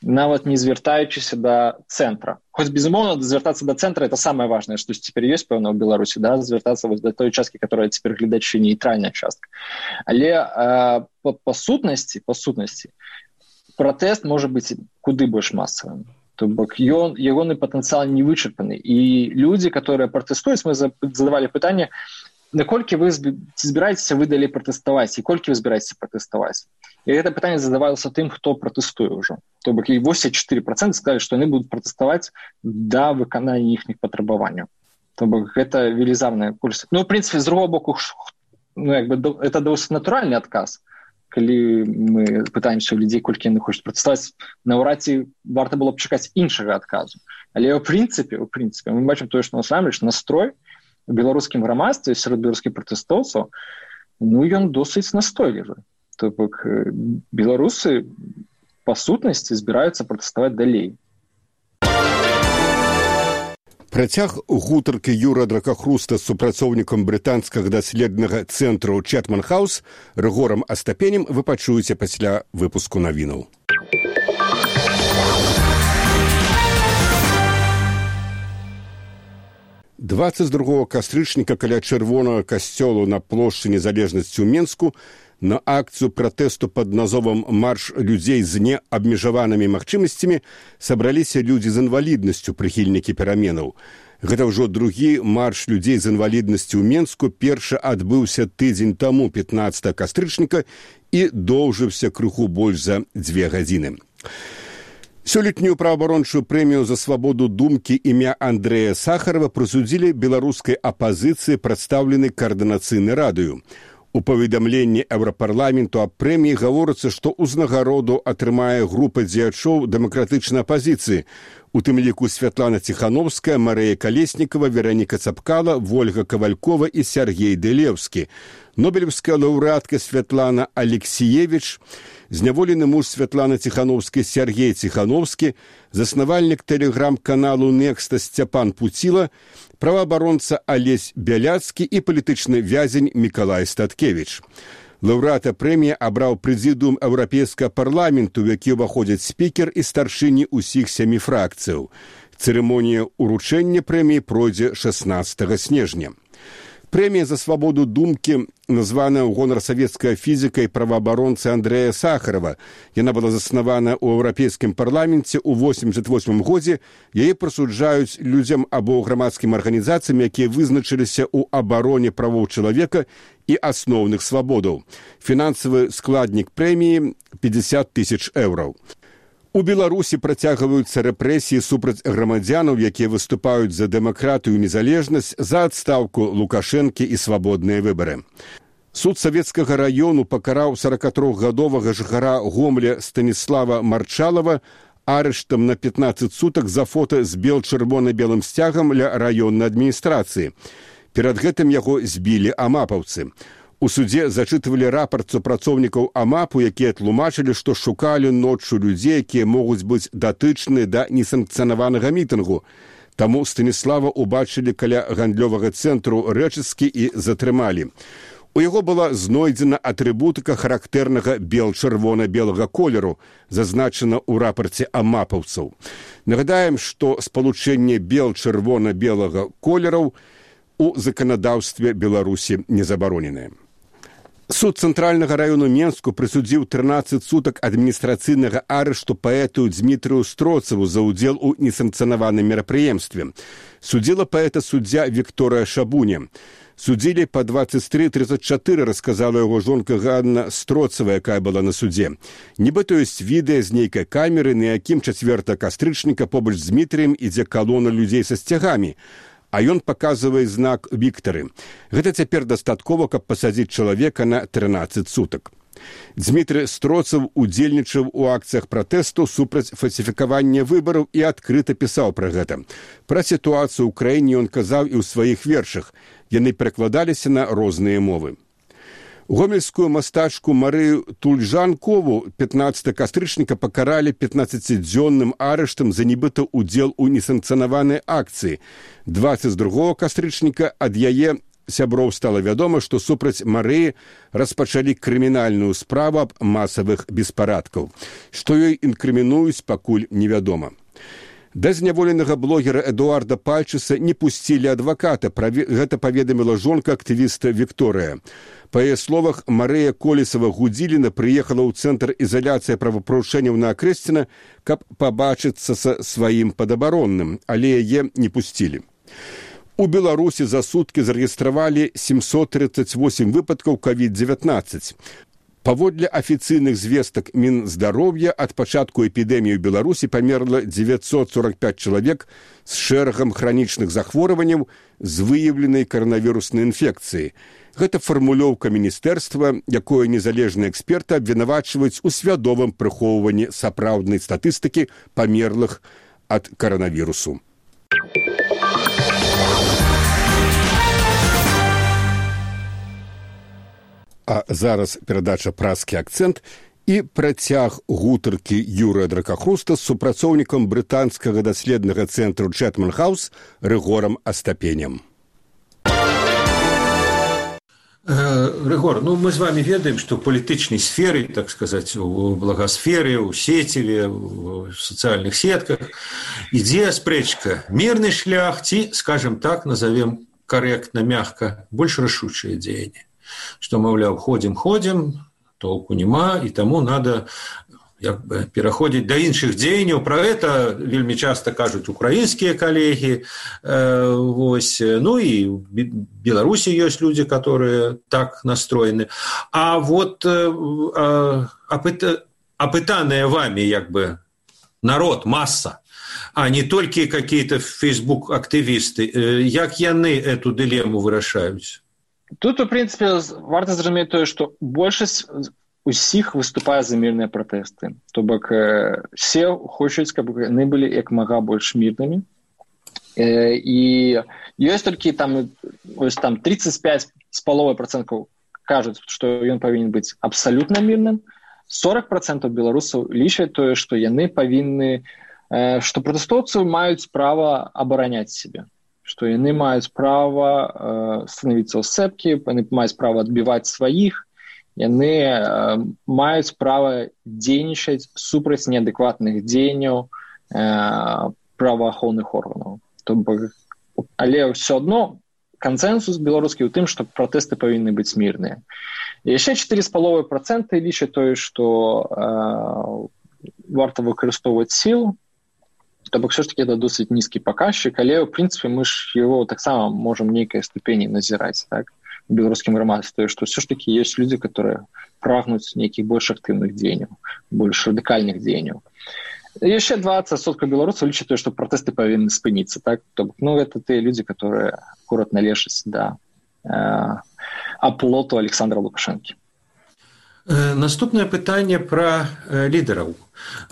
нават не звяртаючыся да цэнтра. Хоць, безумоўна, звяртацца да цэнтра — это самае важнае, што цяпер ёсць, пэўна, ў Беларусі, да? Звяртацца вось да той часткі, которая цяпер глядачы нейтральная частка. Але а, па, па сутнасці, па сутнасці, пратэст можа быць куды больш масавым. То бок ён, ягоны патэнцыял не вычарпаны. І людзі, которые пратэстуюць, мы задавалі пытанне, наколькі вы збіраецеся вы далей пратэставаць, і колькі вы збіраецеся пратэставаць. І гэта пытанне задавалася тым, хто пратэстуе ўжо. То бок і восемьдесят четыре процента сказалі, што яны будуць пратэставаць да выканання іхніх патрабаванняў. То бок гэта велізарная колькасць. Ну, в прынцыпе, з другого боку, ну, як бы, это досыць натуральны адказ. Калі мы пытаемся ў людзей, колькі яны хочуць пратэставаць, наўрад ці варта было б чакаць іншага адказу. Але ў прынцыпе, ў прынцыпе, мы бачым тое, што насамрэч настрой у беларускім грамадстве, сярод беларускіх пратэстоўцаў, ну, ён досыць настойлівы. То бок беларусы па сутнасці збіраюцца пратэставаць далей. Працяг гутаркі Юра Дракахруста з супрацоўнікам брытанскага даследнага цэнтру Чэтман Хаус Рыгорам Астапенем вы пачуеце пасля выпуску навінаў. дваццаць другога кастрычніка каля чырвонага касцёлу на плошчы Незалежнасці ў Менску на акцыю пратэсту пад назвам «Марш людзей з неабмежаванымі магчымасцямі» сабраліся людзі з інваліднасцю, прыхільнікі пераменаў. Гэта ўжо другі марш людзей з інваліднасцю ў Менску, першы адбыўся тыдзень таму, пятнаццатага кастрычніка, і доўжыўся крыху больш за дзве гадзіны. Сёлетнюю праваабарончую прэмію за свабоду думкі імя Андрэя Сахарова прысудзілі беларускай апазіцыі, прадстаўленай каардынацыйнай радаю. У паведамленні Еўрапарламенту аб прэміі гаворыцца, што ўзнагароду атрымае група дзеячоў дэмакратычнай апазіцыі, у тым ліку Святлана Ціхановская, Марыя Калеснікава, Вераніка Цапкала, Вольга Кавалькова і Сергей Дэлеўскі. Нобелевская лаўрэатка Святлана Алексіевіч, зняволены муж Святланы Ціхановскай Сергей Ціхановскі, заснавальнік тэлеграм-каналу «Некста» Сцяпан Пуціла, праваабаронца Алесь Бяляцкі і палітычны вязень Мікалай Статкевіч. Лаўрэата прэміі абраў прэзідыум Еўрапейскага парламенту, у які ўваходзяць спікер і старшыні ўсіх сямі фракцыяў. Цырымонія ўручэння прэміі пройдзе шаснаццатага снежня. Прэмія за свабоду думкі названая ў гонар савецкага фізіка і праваабаронцы Андрэя Сахарова. Яна была заснавана ў Еўрапейскім парламенце ў восемьдесят восьмым годзе. Яе прысуджаюць людзям або грамадскім арганізацыям, якія вызначыліся ў абароне правоў чалавека і асноўных свабодаў. Фінансавы складнік прэміі пятьдесят тысяч еўраў. У Беларусі працягваюцца рэпрэсіі супраць грамадзянаў, якія выступаюць за дэмакратыю і незалежнасць, за адстаўку Лукашэнкі і свабодныя выбары. Суд Савецкага раёну пакараў сорокатрохгадовага жыхара Гомля Станіслава Марчалова арыштам на пятнаццаць сутак за фота з бел-чырвона-белым сцягам ля раённай адміністрацыі. Перад гэтым яго збілі амапаўцы. У судзе зачытывалі рапарт супрацоўнікаў амапу, якія тлумачылі, што шукалі ноччу людзей, якія могуць быць датычныя да несанкцыянаванага мітынгу. Таму Станіслава ўбачылі каля гандлёвага цэнтру рэчыскі і затрымалі. У яго была знойдзена атрыбутыка характэрнага бел-чырвона-белага колеру, зазначана ў рапарце амапаўцаў. Нагадаем, што спалучэнне бел-чырвона-белага колераў у заканадаўстве Беларусі не забароненае. Суд Цэнтральнага раёну Менску прысудзіў трынаццаць сутак адміністрацыйнага арышту паэту Дзмітрыю Строцаву за ўдзел у несанкцыянаваным мерапрыемстве. Судзіла паэта суддзя Вікторыя Шабуня. Судзілі па двадцать три тридцать четыре, расказала яго жонка Ганна Строцава, якая была на судзе. Нібыта ёсць відэа з нейкай камеры, на якім чацвёртага кастрычніка побач з Дмітрыем ідзе калона людзей са сцягамі, а ён паказвае знак Віктары. Гэта цяпер дастаткова, каб пасадзіць чалавека на трынаццаць сутак. Дзмітрый Строцаў удзельнічаў у акцыях пратэсту супраць фальсіфікавання выбараў і адкрыта пісаў пра гэта. Пра сітуацыю ў краіне ён казаў і ў сваіх вершах. Яны перакладаліся на розныя мовы. Гомельскую мастачку Марыю Тульжанкову пятнаццатага кастрычніка пакаралі пятнаццацідзённым арыштам за нібыта ўдзел у несанкцыянаванай акцыі. двадцать другога кастрычніка ад яе сяброў стала вядома, што супраць Марыі распачалі крымінальную справу аб масавых беспарадкаў. Што ёй інкрымінуюць, пакуль невядома. Да зняволенага блогера Эдуарда Пальчыса не пусцілі адваката. Гэта паведаміла жонка актывіста Вікторыя. Па яе словах, Марыя Колесава-Гудзіліна прыехала ў цэнтр ізаляцыі правапарушэнняў на Акрэсціна, каб пабачыцца са сваім падабаронным, але яе не пусцілі. У Беларусі за суткі зарэгістравалі сямсот тридцать восемь выпадкаў ковід дзевятнаццаць. Паводле афіцыйных звестак Мінздароўя, ад пачатку эпідэміі ў Беларусі памерла дзевяцьсот сорок пять чалавек з шэрагам хранічных захворванняў з выяўленай каранавіруснай інфекцыі. Гэта фармулёўка міністэрства, якое незалежныя эксперты абвінавачваюць у свядомым прыхоўванні сапраўднай статыстыкі памерлых ад каранавірусу. А зараз перадача «Празкі акцэнт» і працяг гутаркі Юрыя Дракахруста з супрацоўнікам брытанскага даследнага цэнтру Чэтман Хаус Рыгорам Астапенем. Рыгор, ну мы з вами ведаем, што ў палітычнай сферы, так сказаць, у благасферы, у сеціве, у сацыяльных сетках ідзе спрэчка. Мірны шлях ці, скажем так, назовем корректно, мягко, больш рашучае дзеянне. Што, маўляў, ходзім-ходзім, толку няма, і таму надо як бы пераходзіць да іншых дзеянняў. Пра гэта вельмі часта кажуць украінскія калегі. Э, вось. Ну і ў Беларусі ёсць людзі, которые так настроены. А вот э, апыта, апытаныя вами як бы народ, масса, а не толькі какие-то фейсбук-актывісты, э, як яны эту дылему вырашаюць? Тут, у прынцыпе, варта зразумець тое, што большасць усіх выступае за мірныя пратэсты. То бок, все хочуць, каб яны былі як мага больш мірнымі. І ёсць толькі там, ось, там тридцать пять з паловай працэнтаў кажуць, што ён павінен быць абсалютна мірным. сорок працэнтаў беларусаў лічаць тое, што яны павінны, што пратэстоўцы маюць права абараняць сябе. Што яны маюць права э, становіцца ў сцэпкі, яны маюць права адбіваць сваіх, яны э, маюць права дзейнічаць супраць неадэкватных дзеянняў э, праваахоўных органаў. Тобто, але ўсё адно кансэнсус беларускі ў тым, што пратэсты павінны быць мірныя. І яшчэ чатыры з паловай працэнта лічаць тое, што э, варта выкарыстоўваць сілу. То бок, все ж таки, это досыць нізкі паказчык, але, ў прынцыпе, мы ж его таксама можам нейкай ступені назіраць, так, у беларускім грамадстве, што все ж таки ёсць людзі, которые прагнуць нейкіх больш актыўных дзеянняў, больш радыкальных дзеянняў. Яшчэ двадцать адсоткаў беларусаў лічаць тое, што пратэсты павінны спыніцца, так, то бок, ну, это тыя людзі, которые акурат належаць да э, аплоту Александра Лукашэнкі. Наступнае пытанне пра лідараў.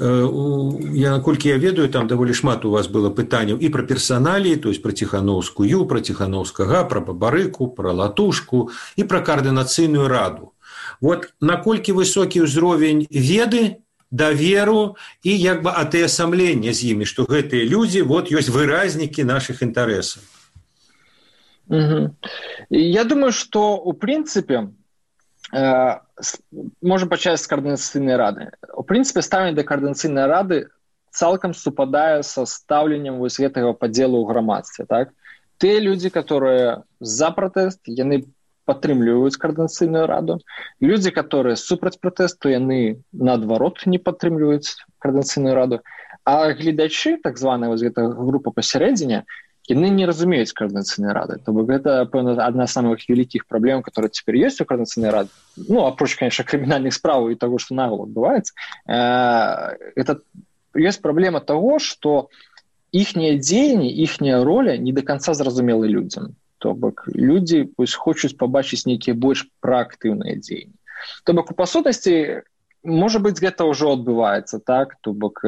Я, наколькі я ведаю, там даволі шмат у вас было пытанняў і пра персаналіі, то есть пра Ціханаўскую, пра Ціханаўскага, пра Бабарыку, пра Латушку і пра каардынацыйную раду. Вот наколькі высокі ўзровень веды, даверу і як бы атаясамлення з імі, што гэтыя людзі вот ёсць выразнікі нашых інтарэсаў. Угу. Я думаю, што у прынцыпе можем пачаць з каардынацыйнай рады. У прынцыпе, стаўленне да каардынацыйнай рады цалкам супадае са стаўленнем вось гэтага падзелу ў грамадстве. Так? Тыя людзі, которые за пратэст, яны падтрымліваюць каардынацыйную раду. Людзі, которые супраць пратэсту, яны наадварот не падтрымліваюць каардынацыйную раду. А гледачы, так званая вось гэтая група пасярэдзіне, яны не разумеюць каардынацыйнай рады. То бок гэта, пэўна, адна з самых вялікіх праблем, которые цяпер ёсць у каардынацыйнай рады. Ну, апроч, конечно, крымінальных справаў і таго, што нагул адбываецца. Это ёсць праблема таго, што іхнія дзеянні, іхняя роля не до конца зразумелы людзям. То бок людзі вось, хочуць пабачыць нейкія больш праактыўныя дзеянні. То бок у пасутнасці, можа быць, гэта ўжо адбываецца, так? То бок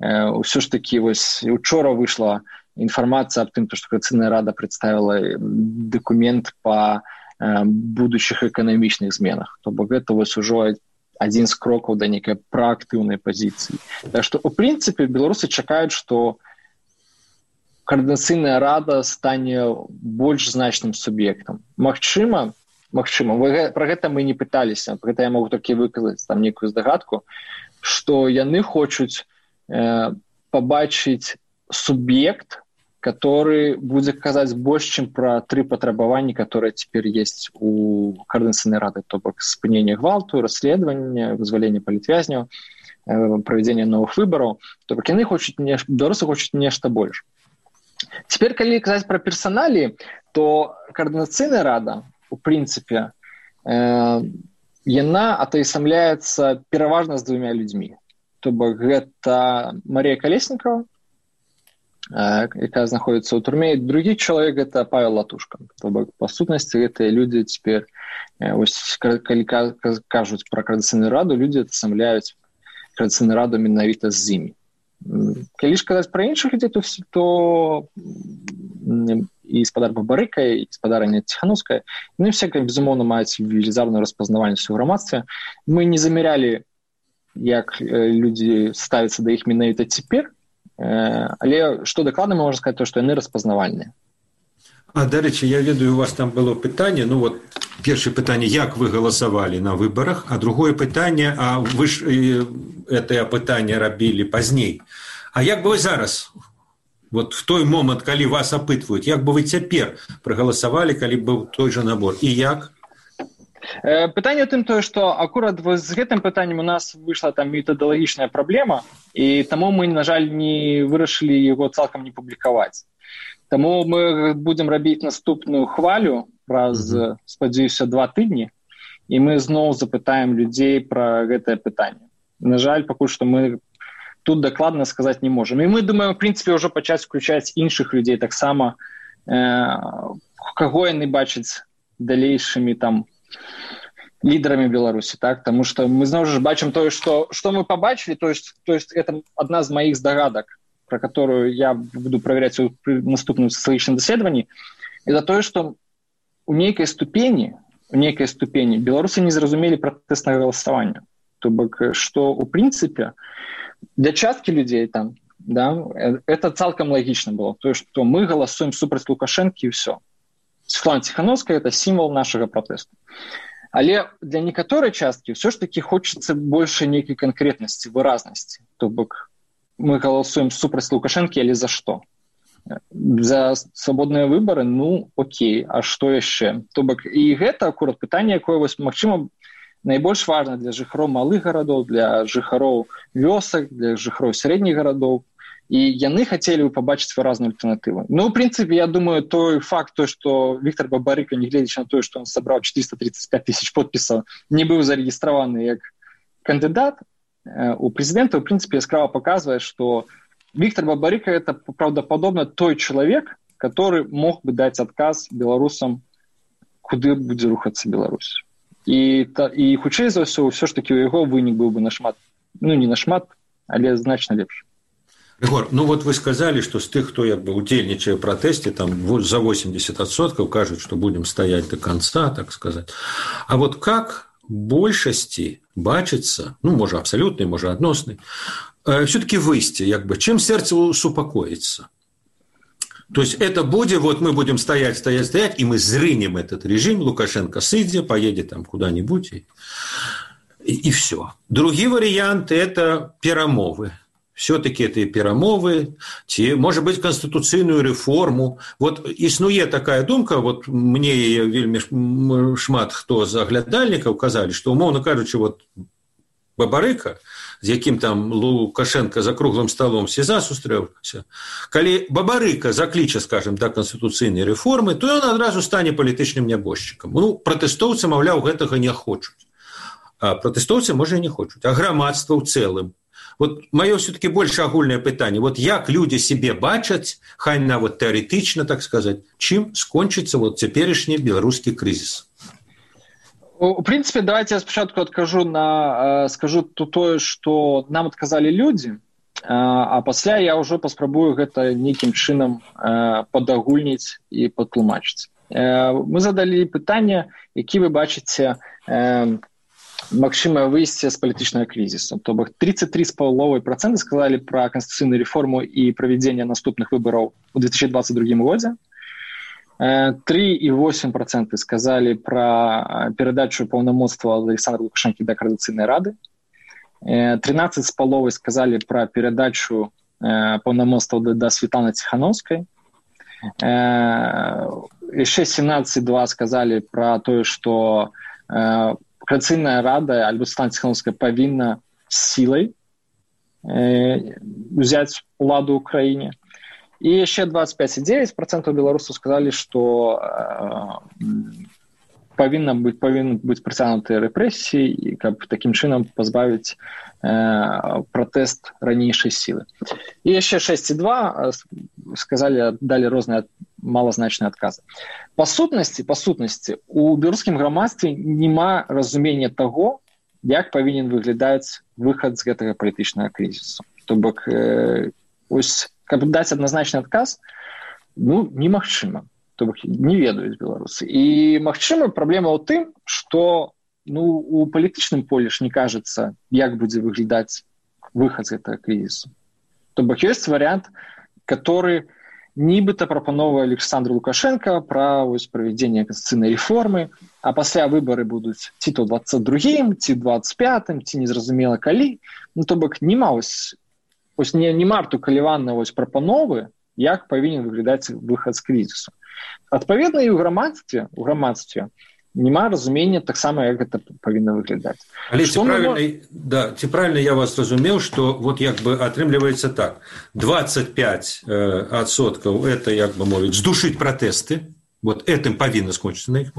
ўсё ж такі вось учора выйшла информация об том, что Каардынацыйная рада представила документ по э, будущих экономичных зменах. То бок это вот уже один из кроков до некой проактивной позиции. Так что, в принципе, белорусы чекают, что координацыйная рада стане больш значным суб'ектам. Магчыма, магчыма, вы, пра гэта мы не пыталіся, пра гэта я могу толькі выказаць там некую здагадку, што яны хочуць э, пабачыць суб'ект, который будзе казаць больш, чым пра тры патрабаванні, которые цяпер есть у координацыйнай рады, то бок спынення гвалту, расследавання, вызвалення палітвязняў, правядзення новых выбараў, то бок яны хочуць нешта, беларусы хочуць нешта больш. Цяпер, калі казаць пра персаналіі, то координацыйная рада, у прынцыпе, э, яна атаясамляецца пераважна з двумя людзьмі. То бок гэта Марія Калеснікова, э, якая знаходзіцца ў турме, і другі чалавек гэта Павел Латушка. То бок, па сутнасці, гэтыя людзі цяпер, э, ось, калі кажуць пра координацыйную раду, людзі атаясамляюць координацыйную раду менавіта з імі. Калі ж казаць пра іншых людзей, то, то і гаспадар Бабарыка, і гаспадарня Ціхановская, яны все, безумоўна, маюць велізарную распазнавальнасць у грамадстве. Мы не замярялі, як людзі ставяцца да іх менавіта цяпер, але што дакладна можна сказаць, то, што яны распазнавальныя. А, дарэчы, я ведаю, у вас там было пытанне, ну вот, першае пытанне, як вы галасавалі на выбарах, а другое пытанне, а вы ж гэтае пытанне рабілі пазней. А як бы вы зараз, вот в той момант, калі вас апытваюць, як бы вы цяпер прагаласавалі, калі быў той жа набор? І як? Пытанне ў тым тое, што акурат з гэтым пытаннем у нас выйшла там метадалагічная праблема, і таму мы, на жаль, не вырашылі яго цалкам не публікаваць. Таму мы будзем рабіць наступную хвалю праз, mm-hmm. спадзяюся, два тыдні, і мы зноў запытаем людзей пра гэтае пытанне. На жаль, пакуль што мы тут дакладна сказаць не можам. І мы думаем, в прынцыпе, ўжо пачаць включаць іншых людзей таксама, э, каго яны бачаць далейшымі там лідарамі Беларусі, так? Таму што мы зноў жа бачым тое, што, што мы пабачылі, то есть, то есть это адна з маіх здагадак, про которую я буду проверять в наступным социологическом исследовании, это то, что у некой ступени, у некой ступени белорусы не зразумели протестное голосование. То бок, что, в принципе, для частки людей там, да, это цалком логично было. То, что мы голосуем супраць Лукашенко и все. Светлана Тихановская – это символ нашего протеста. Але для некоторой частки все ж таки хочется больше некой конкретности, выразности. То бок, мы голосуем супраць Лукашенко, але за што? За свабодныя выбары? Ну, окей, а што яшчэ? То бок, і гэта акурат пытанне, якое, вось, магчыма, найбольш важна для жыхароў малых гарадоў, для жыхароў вёсак, для жыхароў сярэдніх гарадоў. І яны хацелі бы пабачыць выразную альтэрнатыву. Ну, в прынцыпе, я думаю, той факт, то, што Віктор Бабарыка, нягледзячы на тое, што ён сабраў четыреста тридцать пять тысяч подпісаў, не быў зарэгістраваны як кандыдат у президента, в принципе, яскраво показывает, что Виктор Бабарыка – это правдоподобно той человек, который мог бы дать отказ белорусам, куда будет рухаться Беларусь. И, и хутчэй за ўсё, все ж таки у яго вынік был бы на шмат, ну не на шмат, але значно лепш. Рыгор, ну вот вы сказали, что с тех, кто як бы удзельнічае в протесте, там за восемьдесят процентов кажут, что будем стоять до конца, так сказать. А вот как большасці бачыцца, ну, можа, абсалютнай, можа, адноснай, э, все-таки выйсці, як бы, чым сэрца супакоіцца. То есть это будет, вот мы будем стоять, стоять, стоять, и мы зрынем этот режим, Лукашенко сыдзе, поедет там куда-нибудь, и, и, и все. Другие варианты – это перамовы. Все-таки это и перамовы, ці, может быть, конституцыйную реформу. Вот існуе такая думка, вот мне вельмі шмат хто з аглядальнікаў казалі, што, умоўна кажучы, вот Бабарыка, з якім там Лукашенко за круглым столом СІЗА сустрэўся, калі Бабарыка закліча, скажем, да конституцыйнай реформы, то ён адразу стане палітычным нябожчыкам. Ну, пратэстоўцы, маўляў, гэтага не хочуць. А пратэстоўцы, можа, і не хочуць, а грамадства ў цэлым. Вот мое все-таки больше агульное пытанне. Вот як люди себе бачаць, хай нават теоретично, так сказать, чым скончится вот цяперашні беларускі кризис? В принципе, давайте я спочатку откажу на, скажу тое, что нам отказали люди, а пасля я уже паспрабую гэта нейкім чынам падагульніць і патлумачыць. Мы задалі пытанне, які вы бачыце магчымае выйсце з палітычнага крызісу. То бок тридцать три целых пять десятых процента сказалі пра канстытуцыйную рэформу і правядзенне наступных выбараў у две тысячи двадцать другім годзе. три целых восемь десятых процента сказалі пра перадачу паўнамоцтва ад Александра Лукашэнкі да Коордынацыйнай рады. тринадцать целых пять десятых сказалі пра перадачу паўнамоцтва да Светланы Ціхановскай. Яшчэ семнадцать целых два десятых сказалі пра тое, што Коордынацыйная рада альбо Светлана Ціхановская павінна сілай узяць уладу ў краіне. І яшчэ двадцать пять целых девять десятых процента беларусаў сказалі, што павінна быць павінны быць прыцягнутыя рэпрэсіі, і каб такім чынам пазбавіць э, пратэст ранейшай сілы. І яшчэ шэсць целых два сказалі, далі розныя малазначныя адказы. Па сутнасці, па сутнасці, у беларускім грамадстве няма разумення таго, як павінен выглядаць выхад з гэтага палітычнага крызісу. То бок, э, ось, каб даць адназначны адказ, ну, немагчыма. То бок не ведаюць беларусы. І магчыма праблема ў тым, што ну, у палітычным полі ж не кажацца, як будзе выглядаць выхад з гэтага крызісу. То бок ёсць варыянт, который нібыта прапановвае Александр Лукашенко пра правядзенне канстытуцыйнай рэформы, а пасля выбары будуць ці то двадцать другім, ці двадцать пятым, ці незразумела калі. Ну, то бок нема ось, ось не, не марту каліванна ось прапановы, як павінен выглядаць выхад з крызісу. Адпаведна, і ў грамадстве, у грамадстве няма разумення таксама, як гэта павінна выглядаць. Але ці правільна, мы... да, ці правільна я вас разумеў, што вот як бы атрымліваецца так, двадцать пять адсоткаў это, як бы мовіць, здушыць пратэсты, вот этим павінна скончыцца на іх.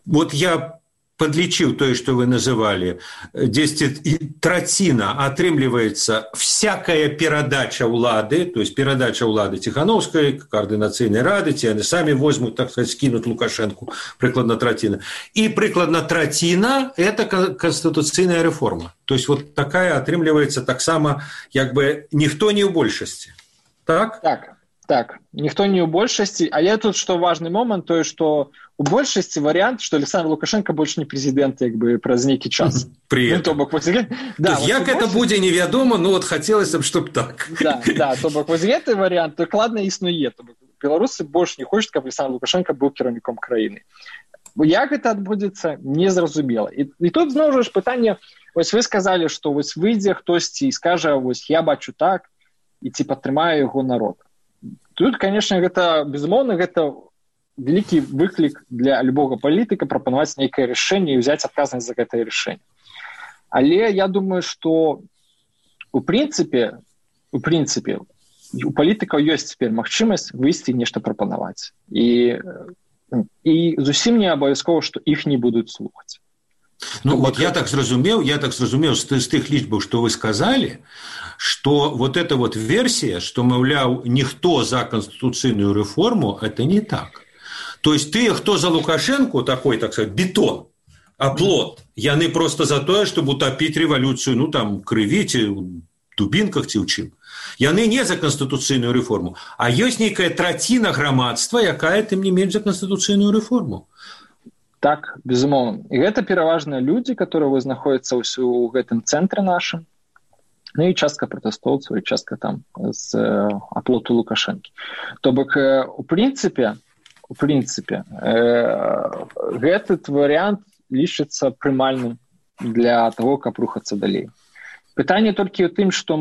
Вот я подлічыў тое, што вы называлі, десять траціна атрымліваецца всякая перадача ўлады, то есть перадача ўлады Ціхановскай, Коордынацыйнай рады, ці яны самі возьмуць, так сказать, скінуць Лукашэнку, прыкладна траціна. І прыкладна траціна – это конституцыйная рэформа. То есть вот такая атрымліваецца таксама, як бы, ніхто не ў большасці. Так? Так. Так, ніхто не ў большасці, але тут што важны момант, тое, што у большасці варыянт, што Александр Лукашенко больш не прэзідэнт, як бы праз нейкі час. При ну, то бок, вось, да, вось, як гэта большасці... будзе невядома, ну вот хацелася б, чтоб так. Да, да, то бок вось гэты варыянт дакладна існуе. То бок беларусы больш не хочуць, каб Александр Лукашенко быў кіраўніком краіны. Як гэта адбудзецца, незразумела. І, і тут зноў жа пытанне, вось вы сказалі, што вось выйдзе хтосьці і скажа, вось я бачу так, і ці падтрымае яго народ. Тут, конечно, гэта, безумоўна, гэта вялікі выклік для любога палітыка прапанаваць нейкае рашэнне і ўзяць адказнасць за гэтае рашэнне. Але я думаю, што у прынцыпе, у прынцыпе, у палітыкаў ёсць цяпер магчымасць выйсці нешта прапанаваць. І, і зусім не абавязкова, што іх не будуць слухаць. Ну, вот я так зразумеў, я так зразумеў з тых лічбаў, што вы сказалі, што вот эта вот версія, што, маўляў, ніхто за канстытуцыйную рэформу, это не так. То есть тыя, хто за Лукашэнку, такой, так сказать, бетон, аплот, яны просто за тое, чтобы утопіць рэвалюцыю, ну, там, крыві, ці ў дубінках, ці ў чым. Яны не за канстытуцыйную рэформу, а ёсць нейкая траціна грамадства, якая, тым не менш, за канстытуцыйную рэформу. Так, безумоўна. І гэта пераважна людзі, которые знаходзяцца ў гэтым цэнтры нашым, ну і частка пратэстоўцаў, і частка там з э, аплоту Лукашэнкі. То бок, э, у прынцыпе, у прынцыпе, э, гэты варыянт лічыцца прымальным для таго, каб рухацца далей. Пытанне толькі ў тым, што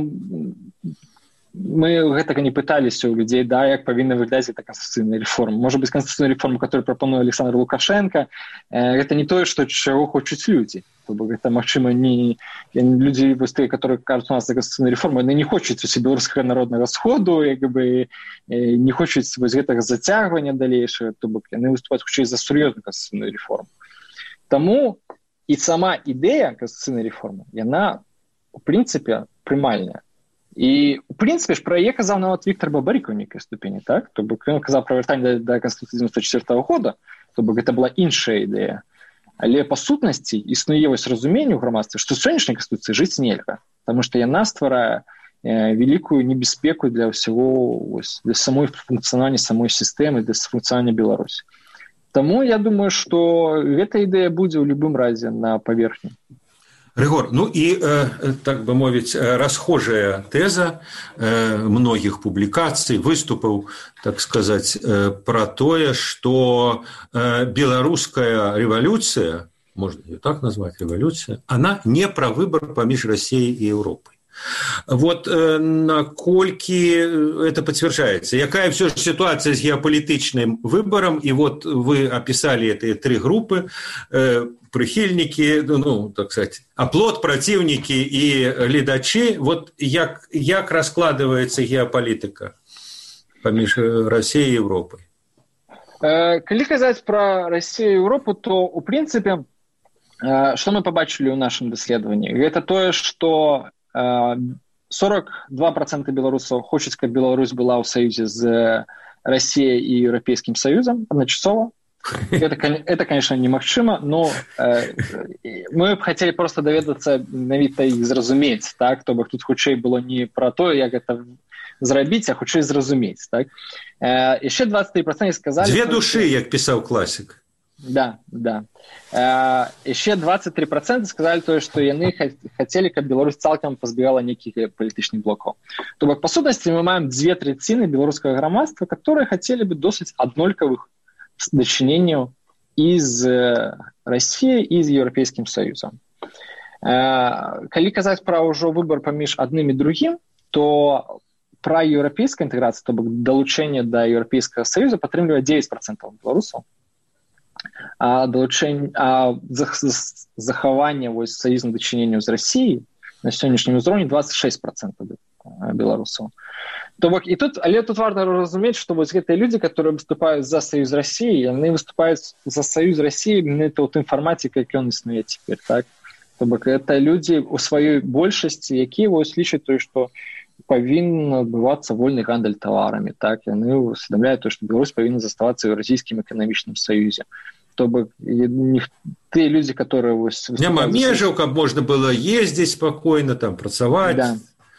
мы гэтага не пыталіся ў людзей, да, як павінна выглядаць гэта канстытуцыйная рэформа. Можа быць, канстытуцыйная рэформа, которую прапануе Александр Лукашенко, э, гэта не тое, што чаго хочуць людзі. То бок гэта, магчыма, не людзі, вось тыя, которые кажуць у нас за канстытуцыйную рэформу, яны не хочуць усе беларускага народнага сходу, як бы э, не хочуць вось гэтага зацягвання далейшага, то бок яны выступаюць хутчэй за сур'ёзную канстытуцыйную рэформу. Таму і сама ідэя канстытуцыйнай рэформы, яна у прынцыпе прымальная. І, у прынцыпе, ж пра яе казаў нават Віктор Бабарык у нейкай ступені, так? То бок ён казаў пра вяртанне да, да Канстытуцыі дзевяносто четвёртого года, то бок гэта была іншая ідэя. Але, па сутнасці, існуе вось разуменне ў грамадстве, што сённяшняй Канстытуцыі жыць нельга, таму што яна стварае э, вялікую небяспеку для ўсяго, вось, для самой функцыянавання самой сістэмы, для функцыянавання Беларусі. Таму я думаю, што гэта ідэя будзе ў любым разе на паверхні. Рыгор, ну і, так бы мовіць, расхожая тэза многіх публікацый, выступаў, так сказаць, пра тое, што беларуская рэвалюцыя, можна ее так назваць, рэвалюцыя, она не пра выбор паміж Россией і Европой. Вот э, наколькі это подтверждается? Якая все же ситуация с геополитичным выбором? И вот вы описали эти три группы, э, прихильники, ну, так сказать, оплот, противники и глядачи. Вот як, як раскладывается геополитика поміж Россией и Европой? Э, калі казаць про Россию и Европу, то, в принципе, э, что мы побачили в нашем исследовании? Это то, что сорок два процента белорусов хочет, чтобы Беларусь была в союзе с Россией и Европейским Союзом одночасово. Это, это конечно, немагчыма, но э, мы хотели просто доведаться, навіта их зразумець, так, чтобы тут хутчэй было не про то, как это зрабіць, а хутчэй зразумець, так. Э, еще двадцать три процента сказали... Две души, как писал классик. Да, да. Э, еще двадцать три процента сказали то, что яны хотели, как Беларусь цалкам позбегала неких политичных блоков. То бок, по сутности, мы имеем две третины белорусского громадства, которые хотели бы досыць аднолькавых дачыненняў из России и из Европейским Союзом. Э, калі казаць про ўжо выбор паміж адным і другім, то про европейскую интеграцию, то бок долучение до Европейского Союза падтрымлівае девять процентов белорусов. А, долучэнне, а захаванне вось саюзных дачыненняў з Россией на сённяшнім узроўні двадцать шесть процентов белорусов. То бок, и тут, але тут важно разуметь, что вот гэтыя люди, которые выступают за союз России, они выступают за союз России именно в том формате, как он існуе теперь, так? То бок, это люди у своей большасці, якія вось лічаць то, что павінен адбывацца вольны гандаль таварамі, так, яны усведамляюць то, што Беларусь павінна заставацца ў еўразійскім эканамічным саюзе. То бок, тыя людзі, которые вось няма межаў, каб можна было ездзіць спакойна, там працаваць. Да.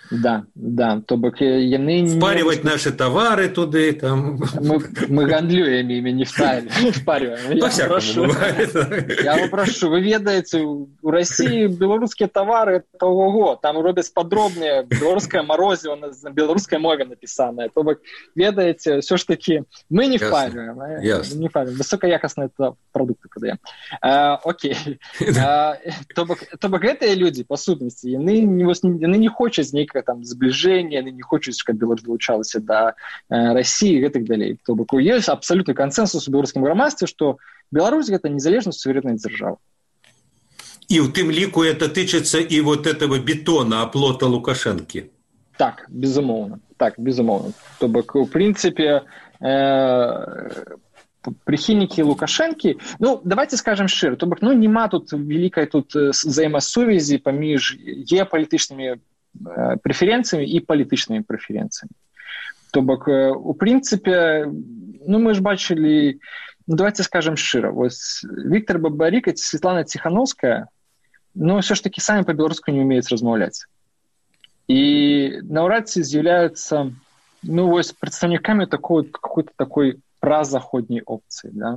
Да, да, то бок яны... Впаривать не... наши товары туды, там... Мы, мы гандлюем ими, не впариваем. По-всякому бывает. Я вас прошу, вы ведаете, у России белорусские товары, это ого, там робят подробнее, белорусское морозиво на белорусской мове написанное. То бок, ведаете, все ж таки, мы не впариваем. Ясно. Не впариваем. Высокоякостные продукты подаем. А, окей. А, то бок, то бок, гэтыя люди, по сутнасці, яны не, не хочуць нейкага там зближения, они не хочуць, каб Беларусь долучалася до э, России и так далее. То бок, есть абсолютный консенсус у беларускім грамадстве, что Беларусь это незалежная суверенная держава. И в тым ліку это тычыцца и вот этого бетона, оплота Лукашенки. Так, безумоўна. Так, безумоўна. То бок, в принципе, э, прихильники Лукашенки, ну, давайте скажем шчыра, то бок, ну, нема тут великой тут взаимосувязі паміж геополитичными преференциями и политичными преференциями. То бок, у принципе, ну, мы ж бачили, ну, давайте скажем шчыра, вот Виктор Бабарик и Светлана Тихановская, ну, все ж таки сами по-белорусски не умеют размаўляць. И наўрад ці з'яўляюцца, ну, вот представниками такой, какой-то такой празаходней опции, да.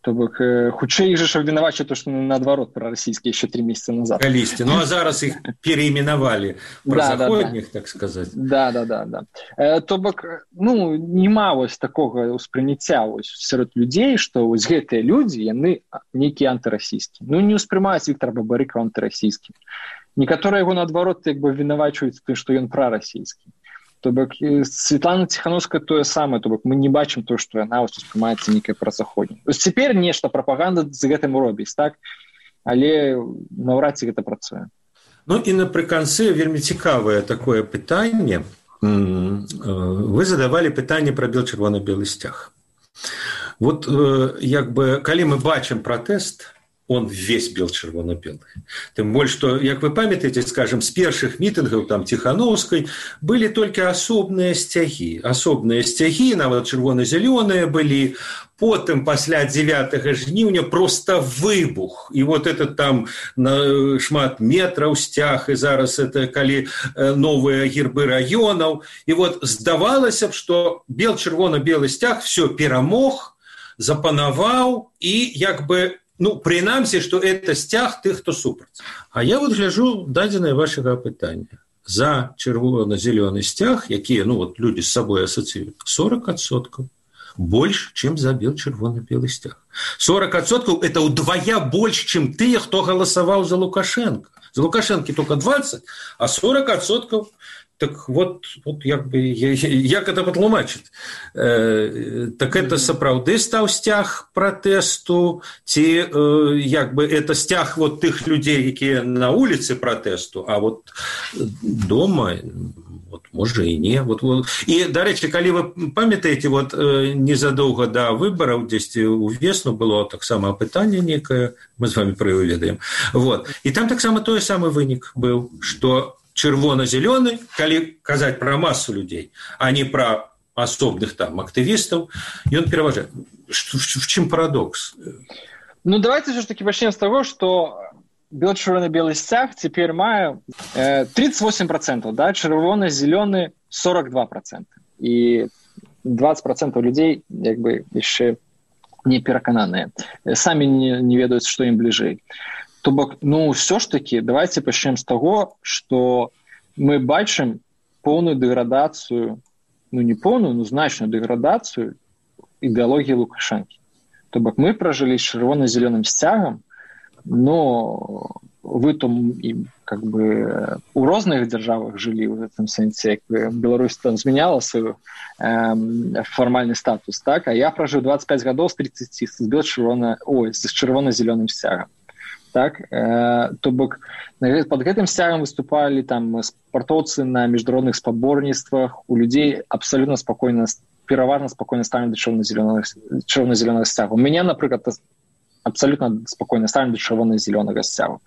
То бок, хутчэй іх жа абвінавачваюць то, што наадварот прарасійскія яшчэ три месяца назад. Калісьці. Ну, а зараз іх переименовали празаходніх, да, да, так сказать. Да, да, да, да. Э, то бок, ну, нема вось такога ўспрыняцця вось сярод людзей, што вось гэтыя людзі, яны нейкія антырасійскія. Ну, не ўспрымаюць Віктора Бабарыка антырасійскім. Некаторыя яго наадварот як бы абвінавачваюць тым, што ён прарасійскі. То бок, Светлана Тихановская тое самае, то бок, мы не бачым то, што яна успрымаецца нейкая працаходня. Цяпер нешта прапаганда з гэтым робіць, так? Але наўрад ці гэта працуе. Ну і напрыканцы вельмі цікавае такое пытанне. Вы задавалі пытанне пра бел-чырвона-белы сцяг. Вот як бы, калі мы бачым пратэст, он весь бел-чырвона-белый. Тем более, что, как вы памятаете, скажем, с первых митингов там Тихановской были только особные стяги. Особные стяги, нават чырвона-зелёныя были. Потом, после девятого жніўня, просто выбух. И вот это там на шмат метров стяг, и зараз это калі новые гербы районов. И вот здавалася б, что бел-чырвона-белый стяг все перамог, запанаваў, и як бы ну, прынамсі, што это сцяг тых, хто супраць. А я вот гляжу дадзенае вашага пытання. За чырвона-зялёны сцяг, якія, ну, вот людзі з сабой асацыююць, сорок адсоткаў больш, чым за бел-чырвона-белы сцяг. сорок адсоткаў это ўдвая больш, чым тыя, хто галасаваў за Лукашенко. За Лукашенко только двадцать, а сорок адсоткаў. Так вот, вот як бы, як это патлумачыць? Э, так это сапраўды стаў сцяг пратэсту, ці э, як бы это сцяг вот тых людзей, якія на вуліцы пратэсту, а вот дома, вот, можа і не. Вот, вот. І, дарэчы, калі вы памятаеце, вот, незадоўга да выбараў, дзесьці ў весну было таксама апытанне некае, мы з вами пра яго ведаем. Вот. І там таксама той самы вынік быў, што чырвона-зялёны, калі казаць пра масу людзей, а не пра асобных там актывістаў, ён пераважае. В чым парадокс? Ну, давайте все ж таки пачнем з таго, што бел-чырвона-белы сцяг цяпер мае э, тридцать восемь процентов, да, чырвона-зялёны сорок два процента. І двадцать процентов людзей як бы яшчэ не перакананыя. Самі не, не ведаюць, што ім бліжэй. То бок, ну, все ж таки, давайте пачнем з таго, што мы бачым поўную дэградацыю, ну, не поўную, но значную дэградацыю ідэалогіі Лукашэнкі. То бок, мы пражылі з чырвона-зялёным сцягам, но вы там, как бы, у розных дзяржавах жылі в этом сэнсе, як бы Беларусь там змяняла свой э, фармальны статус, так? А я пражыў двадцать пять гадоў з тридцати з бел-чырвона, ой, з чырвона-зялёным сцягам. Так, э, то бок под гэтым сцягам выступалі там спартоўцы на міжнародных спаборніцтвах, у людзей абсалютна спакойна, пераважна спакойна ставілі да чырвона-зялёнага сцягу. У мяне, напрыклад, абсалютна спакойна ставілі да чырвона-зялёнага сцягу.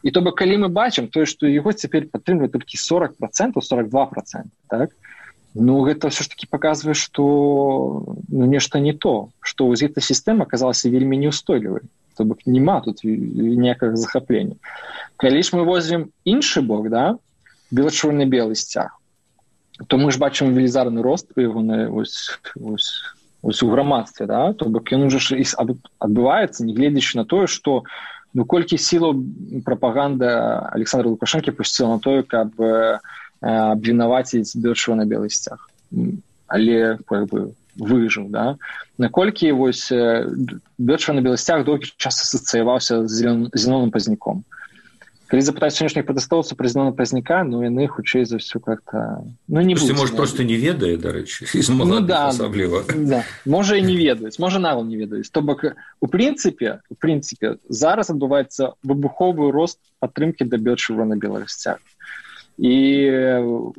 І то бок, калі мы бачым тое, што яго цяпер падтрымлівае толькі сорок процентов, сорок два процента, так? Ну, гэта ўсё ж таки паказвае, што ну, нешта не то, што вось эта сістэма аказалася вельмі неўстойлівай. То бок няма тут ніякага захаплення. Калі ж мы возьмем іншы бок, да, бел-чырвона-белы сцяг, то мы ж бачым велізарны рост яго ось, ось, ось у грамадстве, да, то бок ён уже ж адбываецца, нягледзячы на тое, што ну, колькі сілаў прапаганда Александра Лукашэнкі пусціла на тое, каб э, абвінаваціць бел-чырвона-белы сцяг. Але, как бы, выжыў, да? Наколькі вось бел-чырвона-белы сцяг доўгі час асацыяваўся з зялёным пазняком. Калі запытаць сённяшніх пратэстоўцаў пра зялёнага пазняка, ну яны хутчэй за ўсё как-то ну не будуць. Можа, проста не ведае, дарэчы, з маладых ну, да, асабліва. Да. Можа і не ведаюць, можа нават не ведаюць. То бок у прынцыпе, у прынцыпе зараз адбываецца выбуховы рост падтрымкі да бел-чырвона-белага сцяга. І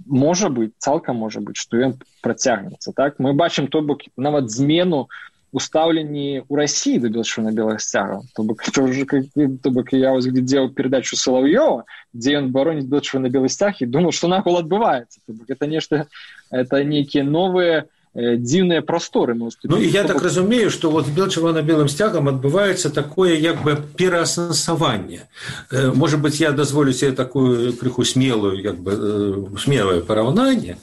можа быць, цалкам можа быць, што ён працягнецца, так? Мы бачым то бок нават змену у стаўленні ў Расіі да бел-чырвона-белага сцяга. То бок, то бок я вось глядзеў перадачу Салаўёва, дзе ён бароніць бел-чырвона-белы сцяг і думаў, што нахуй адбываецца. То бок это нешта, это нейкія новыя дзіўныя прасторы. Ну, і я так разумею, што вот з бел-чырвона-белым сцягам адбываецца такое як бы пераасэнсаванне. Можа быць, я дазволю себе такую крыху смелую, як бы смелае параўнанне,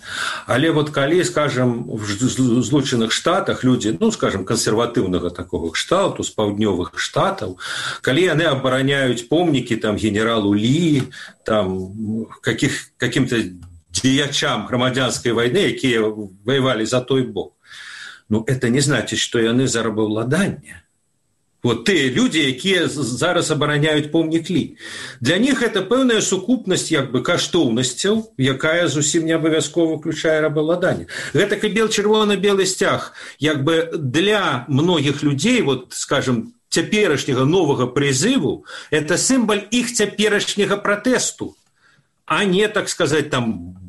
але вот калі, скажем, в Злучаных Штатах людзі, ну, скажем, кансерватыўнага такого кшталту з паўднёвых штатаў, калі яны абараняюць помнікі там генералу Лі, там каких каким-то дзеячам грамадзянскай вайны, якія воевалі за той бок. Ну, это не значыць, што яны за рабаўладанне. Вот тыя людзі, якія зараз абараняюць помнік Лі. Для них это пэўная сукупнасць як бы каштоўнасцяў, якая зусім не абавязкова ўключае рабаўладанне. Гэта і бел-чырвона-белы сцяг як бы для многіх людзей, вот, скажем, цяперашняга новага прызыву, это сімвал іх цяперашняга пратэсту, а не, так сказать, там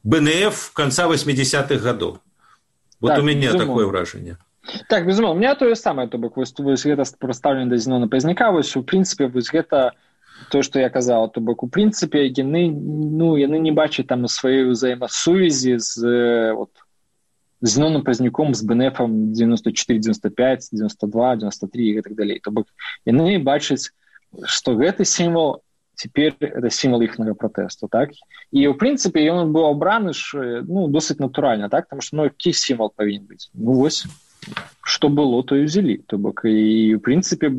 бэ эн эф конца восьмидесятых годов. Вот так, у меня безумно. Такое вражение. Так, безумно. У меня то же самое, то бок, вось, вось гэта проставлено до зялёнага пазняка, вось, у принципе, вось гэта то, что я казал, то бок, у принципе, яны, ну, яны не бачаць там сваёй взаимосувязі з, вот, з зялёным пазняком, з бэ эн эфом девяносто четыре, девяносто пять, девяносто два, девяносто три и так далее. То бок, яны бачаць, што гэты сімвол теперь это символ ихнего протеста, так? И, в принципе, он был обран, ну, досыць натурально, так? Потому что, ну, какой символ повинен быть? Ну, вот, што было, то і ўзялі. То бок, і, ў прынцыпе,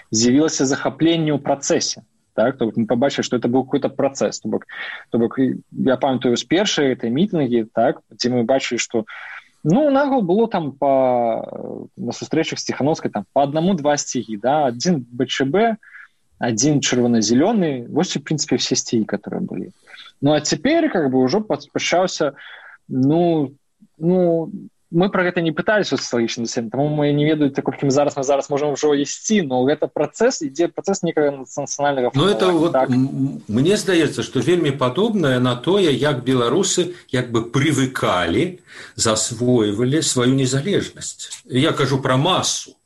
з'явілася захапленне ў працэсе. Так? То бок, мы пабачылі, што это быў какой-то працэс. То бок, то бок, я памятаю, з першай гэтай мітынгі, так, дзе мы бачылі, што ну, нагул было там па, на сустрэчах з Ціхановскай там, па аднаму-два сцягі. Да? Адзін БЧБ, адзін чырвона-зелёны. Вось, у прынцыпе, все сцягі, которые былі. Ну, а цяпер, как бы, ўжо пачаўся, ну, ну, мы про гэта не пыталіся ў сацыялагічным даследаванні, таму мы не ведаю, колькі мы зараз мы зараз можам ўжо ісці, но гэта працэс, ідзе працэс некага нацыянальнага фармавання. Ну, это вот, так? Мне здаецца, што вельмі падобнае на тое, як беларусы як бы прывыкалі, засвойвалі сваю незалежнасць. Я кажу пра масу.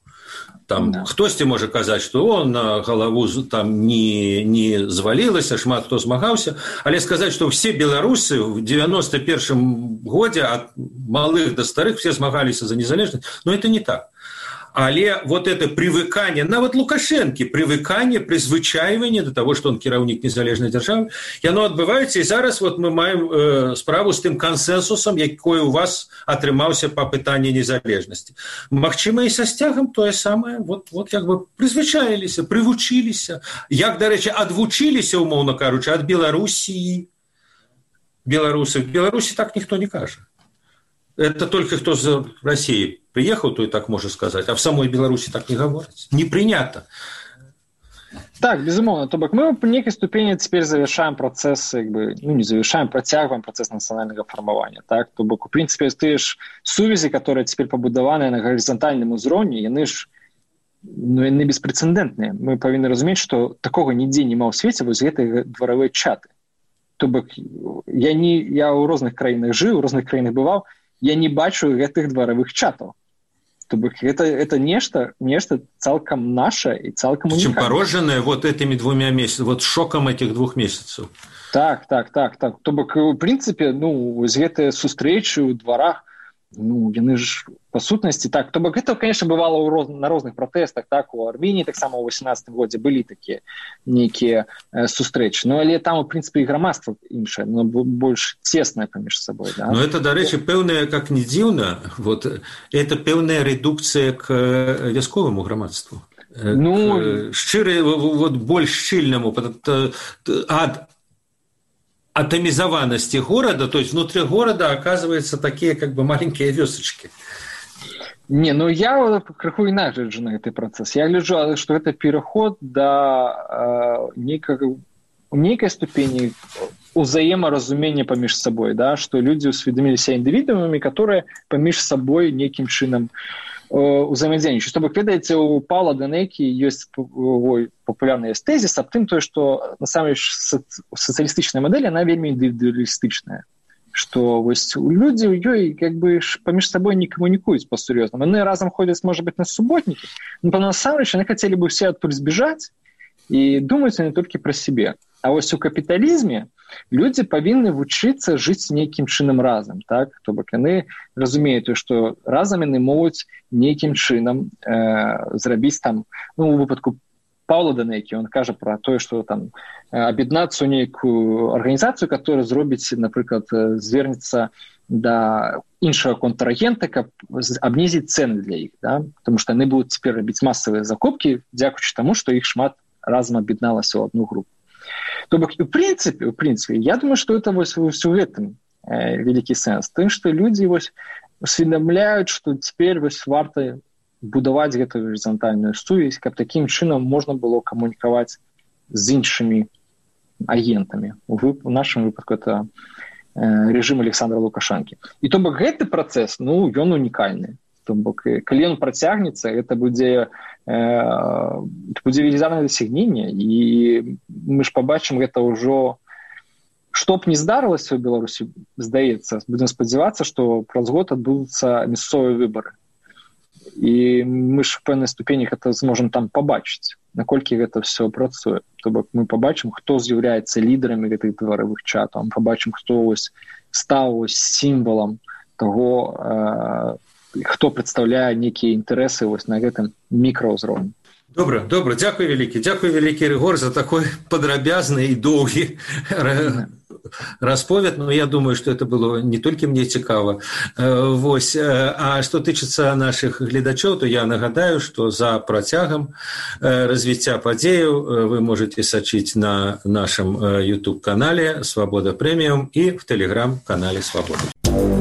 Там да. Хтосьці можа казаць, што он на галаву там не, не звалілася, шмат хто змагаўся, але сказаць, што ўсе беларусы ў девяносто первом годзе ад малых да старых все змагаліся за незалежнасць, но это не так. Але вот это привыкание, нават Лукашэнкі, привыкание, призвычайванне до того, что он кіраўнік незалежнай дзяржавы, яно адбываецца, і зараз вот мы маем э, справу з тым кансенсусам, якой у вас атрымаўся па пытанні незалежнасці. Магчыма, і са сцягам тое самае, вот, вот як бы призвычаіліся, прывучыліся, як, дарэчы, адвучыліся, умоўна кажучы, ад Беларусі, беларусаў. В Беларусі так ніхто не кажа. Это только кто з России приехал, то и так можно сказать, а в самой Беларуси так не говорят. Не принято. Так, безумовно. То бок мы по некой ступени теперь завершаем процесс, как бы, ну не завершаем, протягиваем процесс национального формирования. Так? То бок, в принципе, ты ж сувязі, которые теперь побудованы на горизонтальном узроўні, яны ж ну, яны беспрецедентныя. Мы повинны разуметь, что такого нигде нема ў свеце, вось гэтыя дворовые чаты. То бок я, не, я ў розных краінах жыў, у розных краінах бываў, я не бачу гэтых дваровых чатаў. То бок это, это нешта, нешта цалкам наше и цалкам уникальное. Чем порожденное вот этими двумя месяцами, вот шоком этих двух месяцев. Так, так, так, так. То бок, в принципе, ну, вось гэтыя сустрэчы ў дварах, ну, яны ж по сутнасці, так, то бок это, конечно, бывало ў роз... на розных пратэстах, так, у Армении, так само ў восемнадцатым годзе былі такія нейкія э, сустрэчы, ну, але там, в принципе, і грамадства іншае, но больш цеснае паміж сабой, да. Ну, это, дарэчы, пэўная, как не дзіўна, вот, это пэўная рэдукцыя к вясковаму грамадству. Ну, к шчыры, вот, больш шчыльнаму, ад атомизованности города, то есть внутри города оказываются такие как бы маленькие вёсочки. Не, ну я крыху иначе гляджу на этот процесс. Я гляджу, что это переход до э, некой, некой ступени узаеморазумения поміж собой, да, что люди усведомили себя индивидуумами, которые поміж собой неким чином узаемодзейнічаюць. Што вы ведаеце, у Паўла Данэкі ёсць папулярны тезіс аб тым, тое, што насамрэч сацыялістычная мадэль, яна вельмі індывідуалістычная. Што вось людзі ў ёй як бы паміж сабой не камунікуюць па-сур'ёзнаму. Яны разам ходзяць, можа быць, на суботнікі, но насамрэч яны хацелі бы ўсе адтуль збежаць і думаюць не толькі пра сябе. А вось у капіталізме людзі павінны вучыцца жыць нейкім чынам разам, так? То бок яны разумеюць, што разам яны могуць нейкім чынам э, зрабіць там, ну, у выпадку Паўла Данэкі, он кажа пра тое, што там аб'яднацца ў нейкую арганізацыю, которая зробіць, напрыклад, звернецца да іншага контрагента, каб абнізіць цэны для іх, да? Потому што яны будуць цяпер рабіць масавыя закупкі, дзякуючы таму, што іх шмат разам аб'ядналася ў одну групу. То бок, в принципе, в принципе, я думаю, что это вось в этом э, великий сенс. Тым, что люди вось усведомляют, что теперь вось варта будовать эту горизонтальную сувязь, как таким чином можно было коммуниковать с іншими агентами. В, в нашем выпадку это э, режим Александра Лукашенко. И то бок, этот процесс, ну, он уникальный. То бок, калі ён працягнецца, это будзе э, будзе велізарнае дасягненне, і мы ж пабачым гэта ўжо, што б не здарылася ў Беларусі, здаецца, будзем спадзявацца, што праз год адбудуцца мясцовыя выбары. І мы ж в пэўнай ступені гэта зможам там пабачыць, наколькі гэта все працуе. То бок мы пабачым, хто з'яўляецца лідарамі гэтых дваровых чатаў, мы пабачым, хто ось стаў ось сімвалам таго, э, хто прадстаўляе нейкія інтарэсы вось на гэтым мікраўзроўні. Добра, добра, дзякуй вялікі, дзякуй вялікі, Рыгор, за такой падрабязны і доўгі расповед, но я думаю, что это было не только мне цікава. Вось. А что тычыцца наших гледачоў, то я нагадаю, что за працягам развіцця падзеяў вы можете сачыць на нашем YouTube-канале «Свобода Премиум» и в Telegram-канале «Свобода».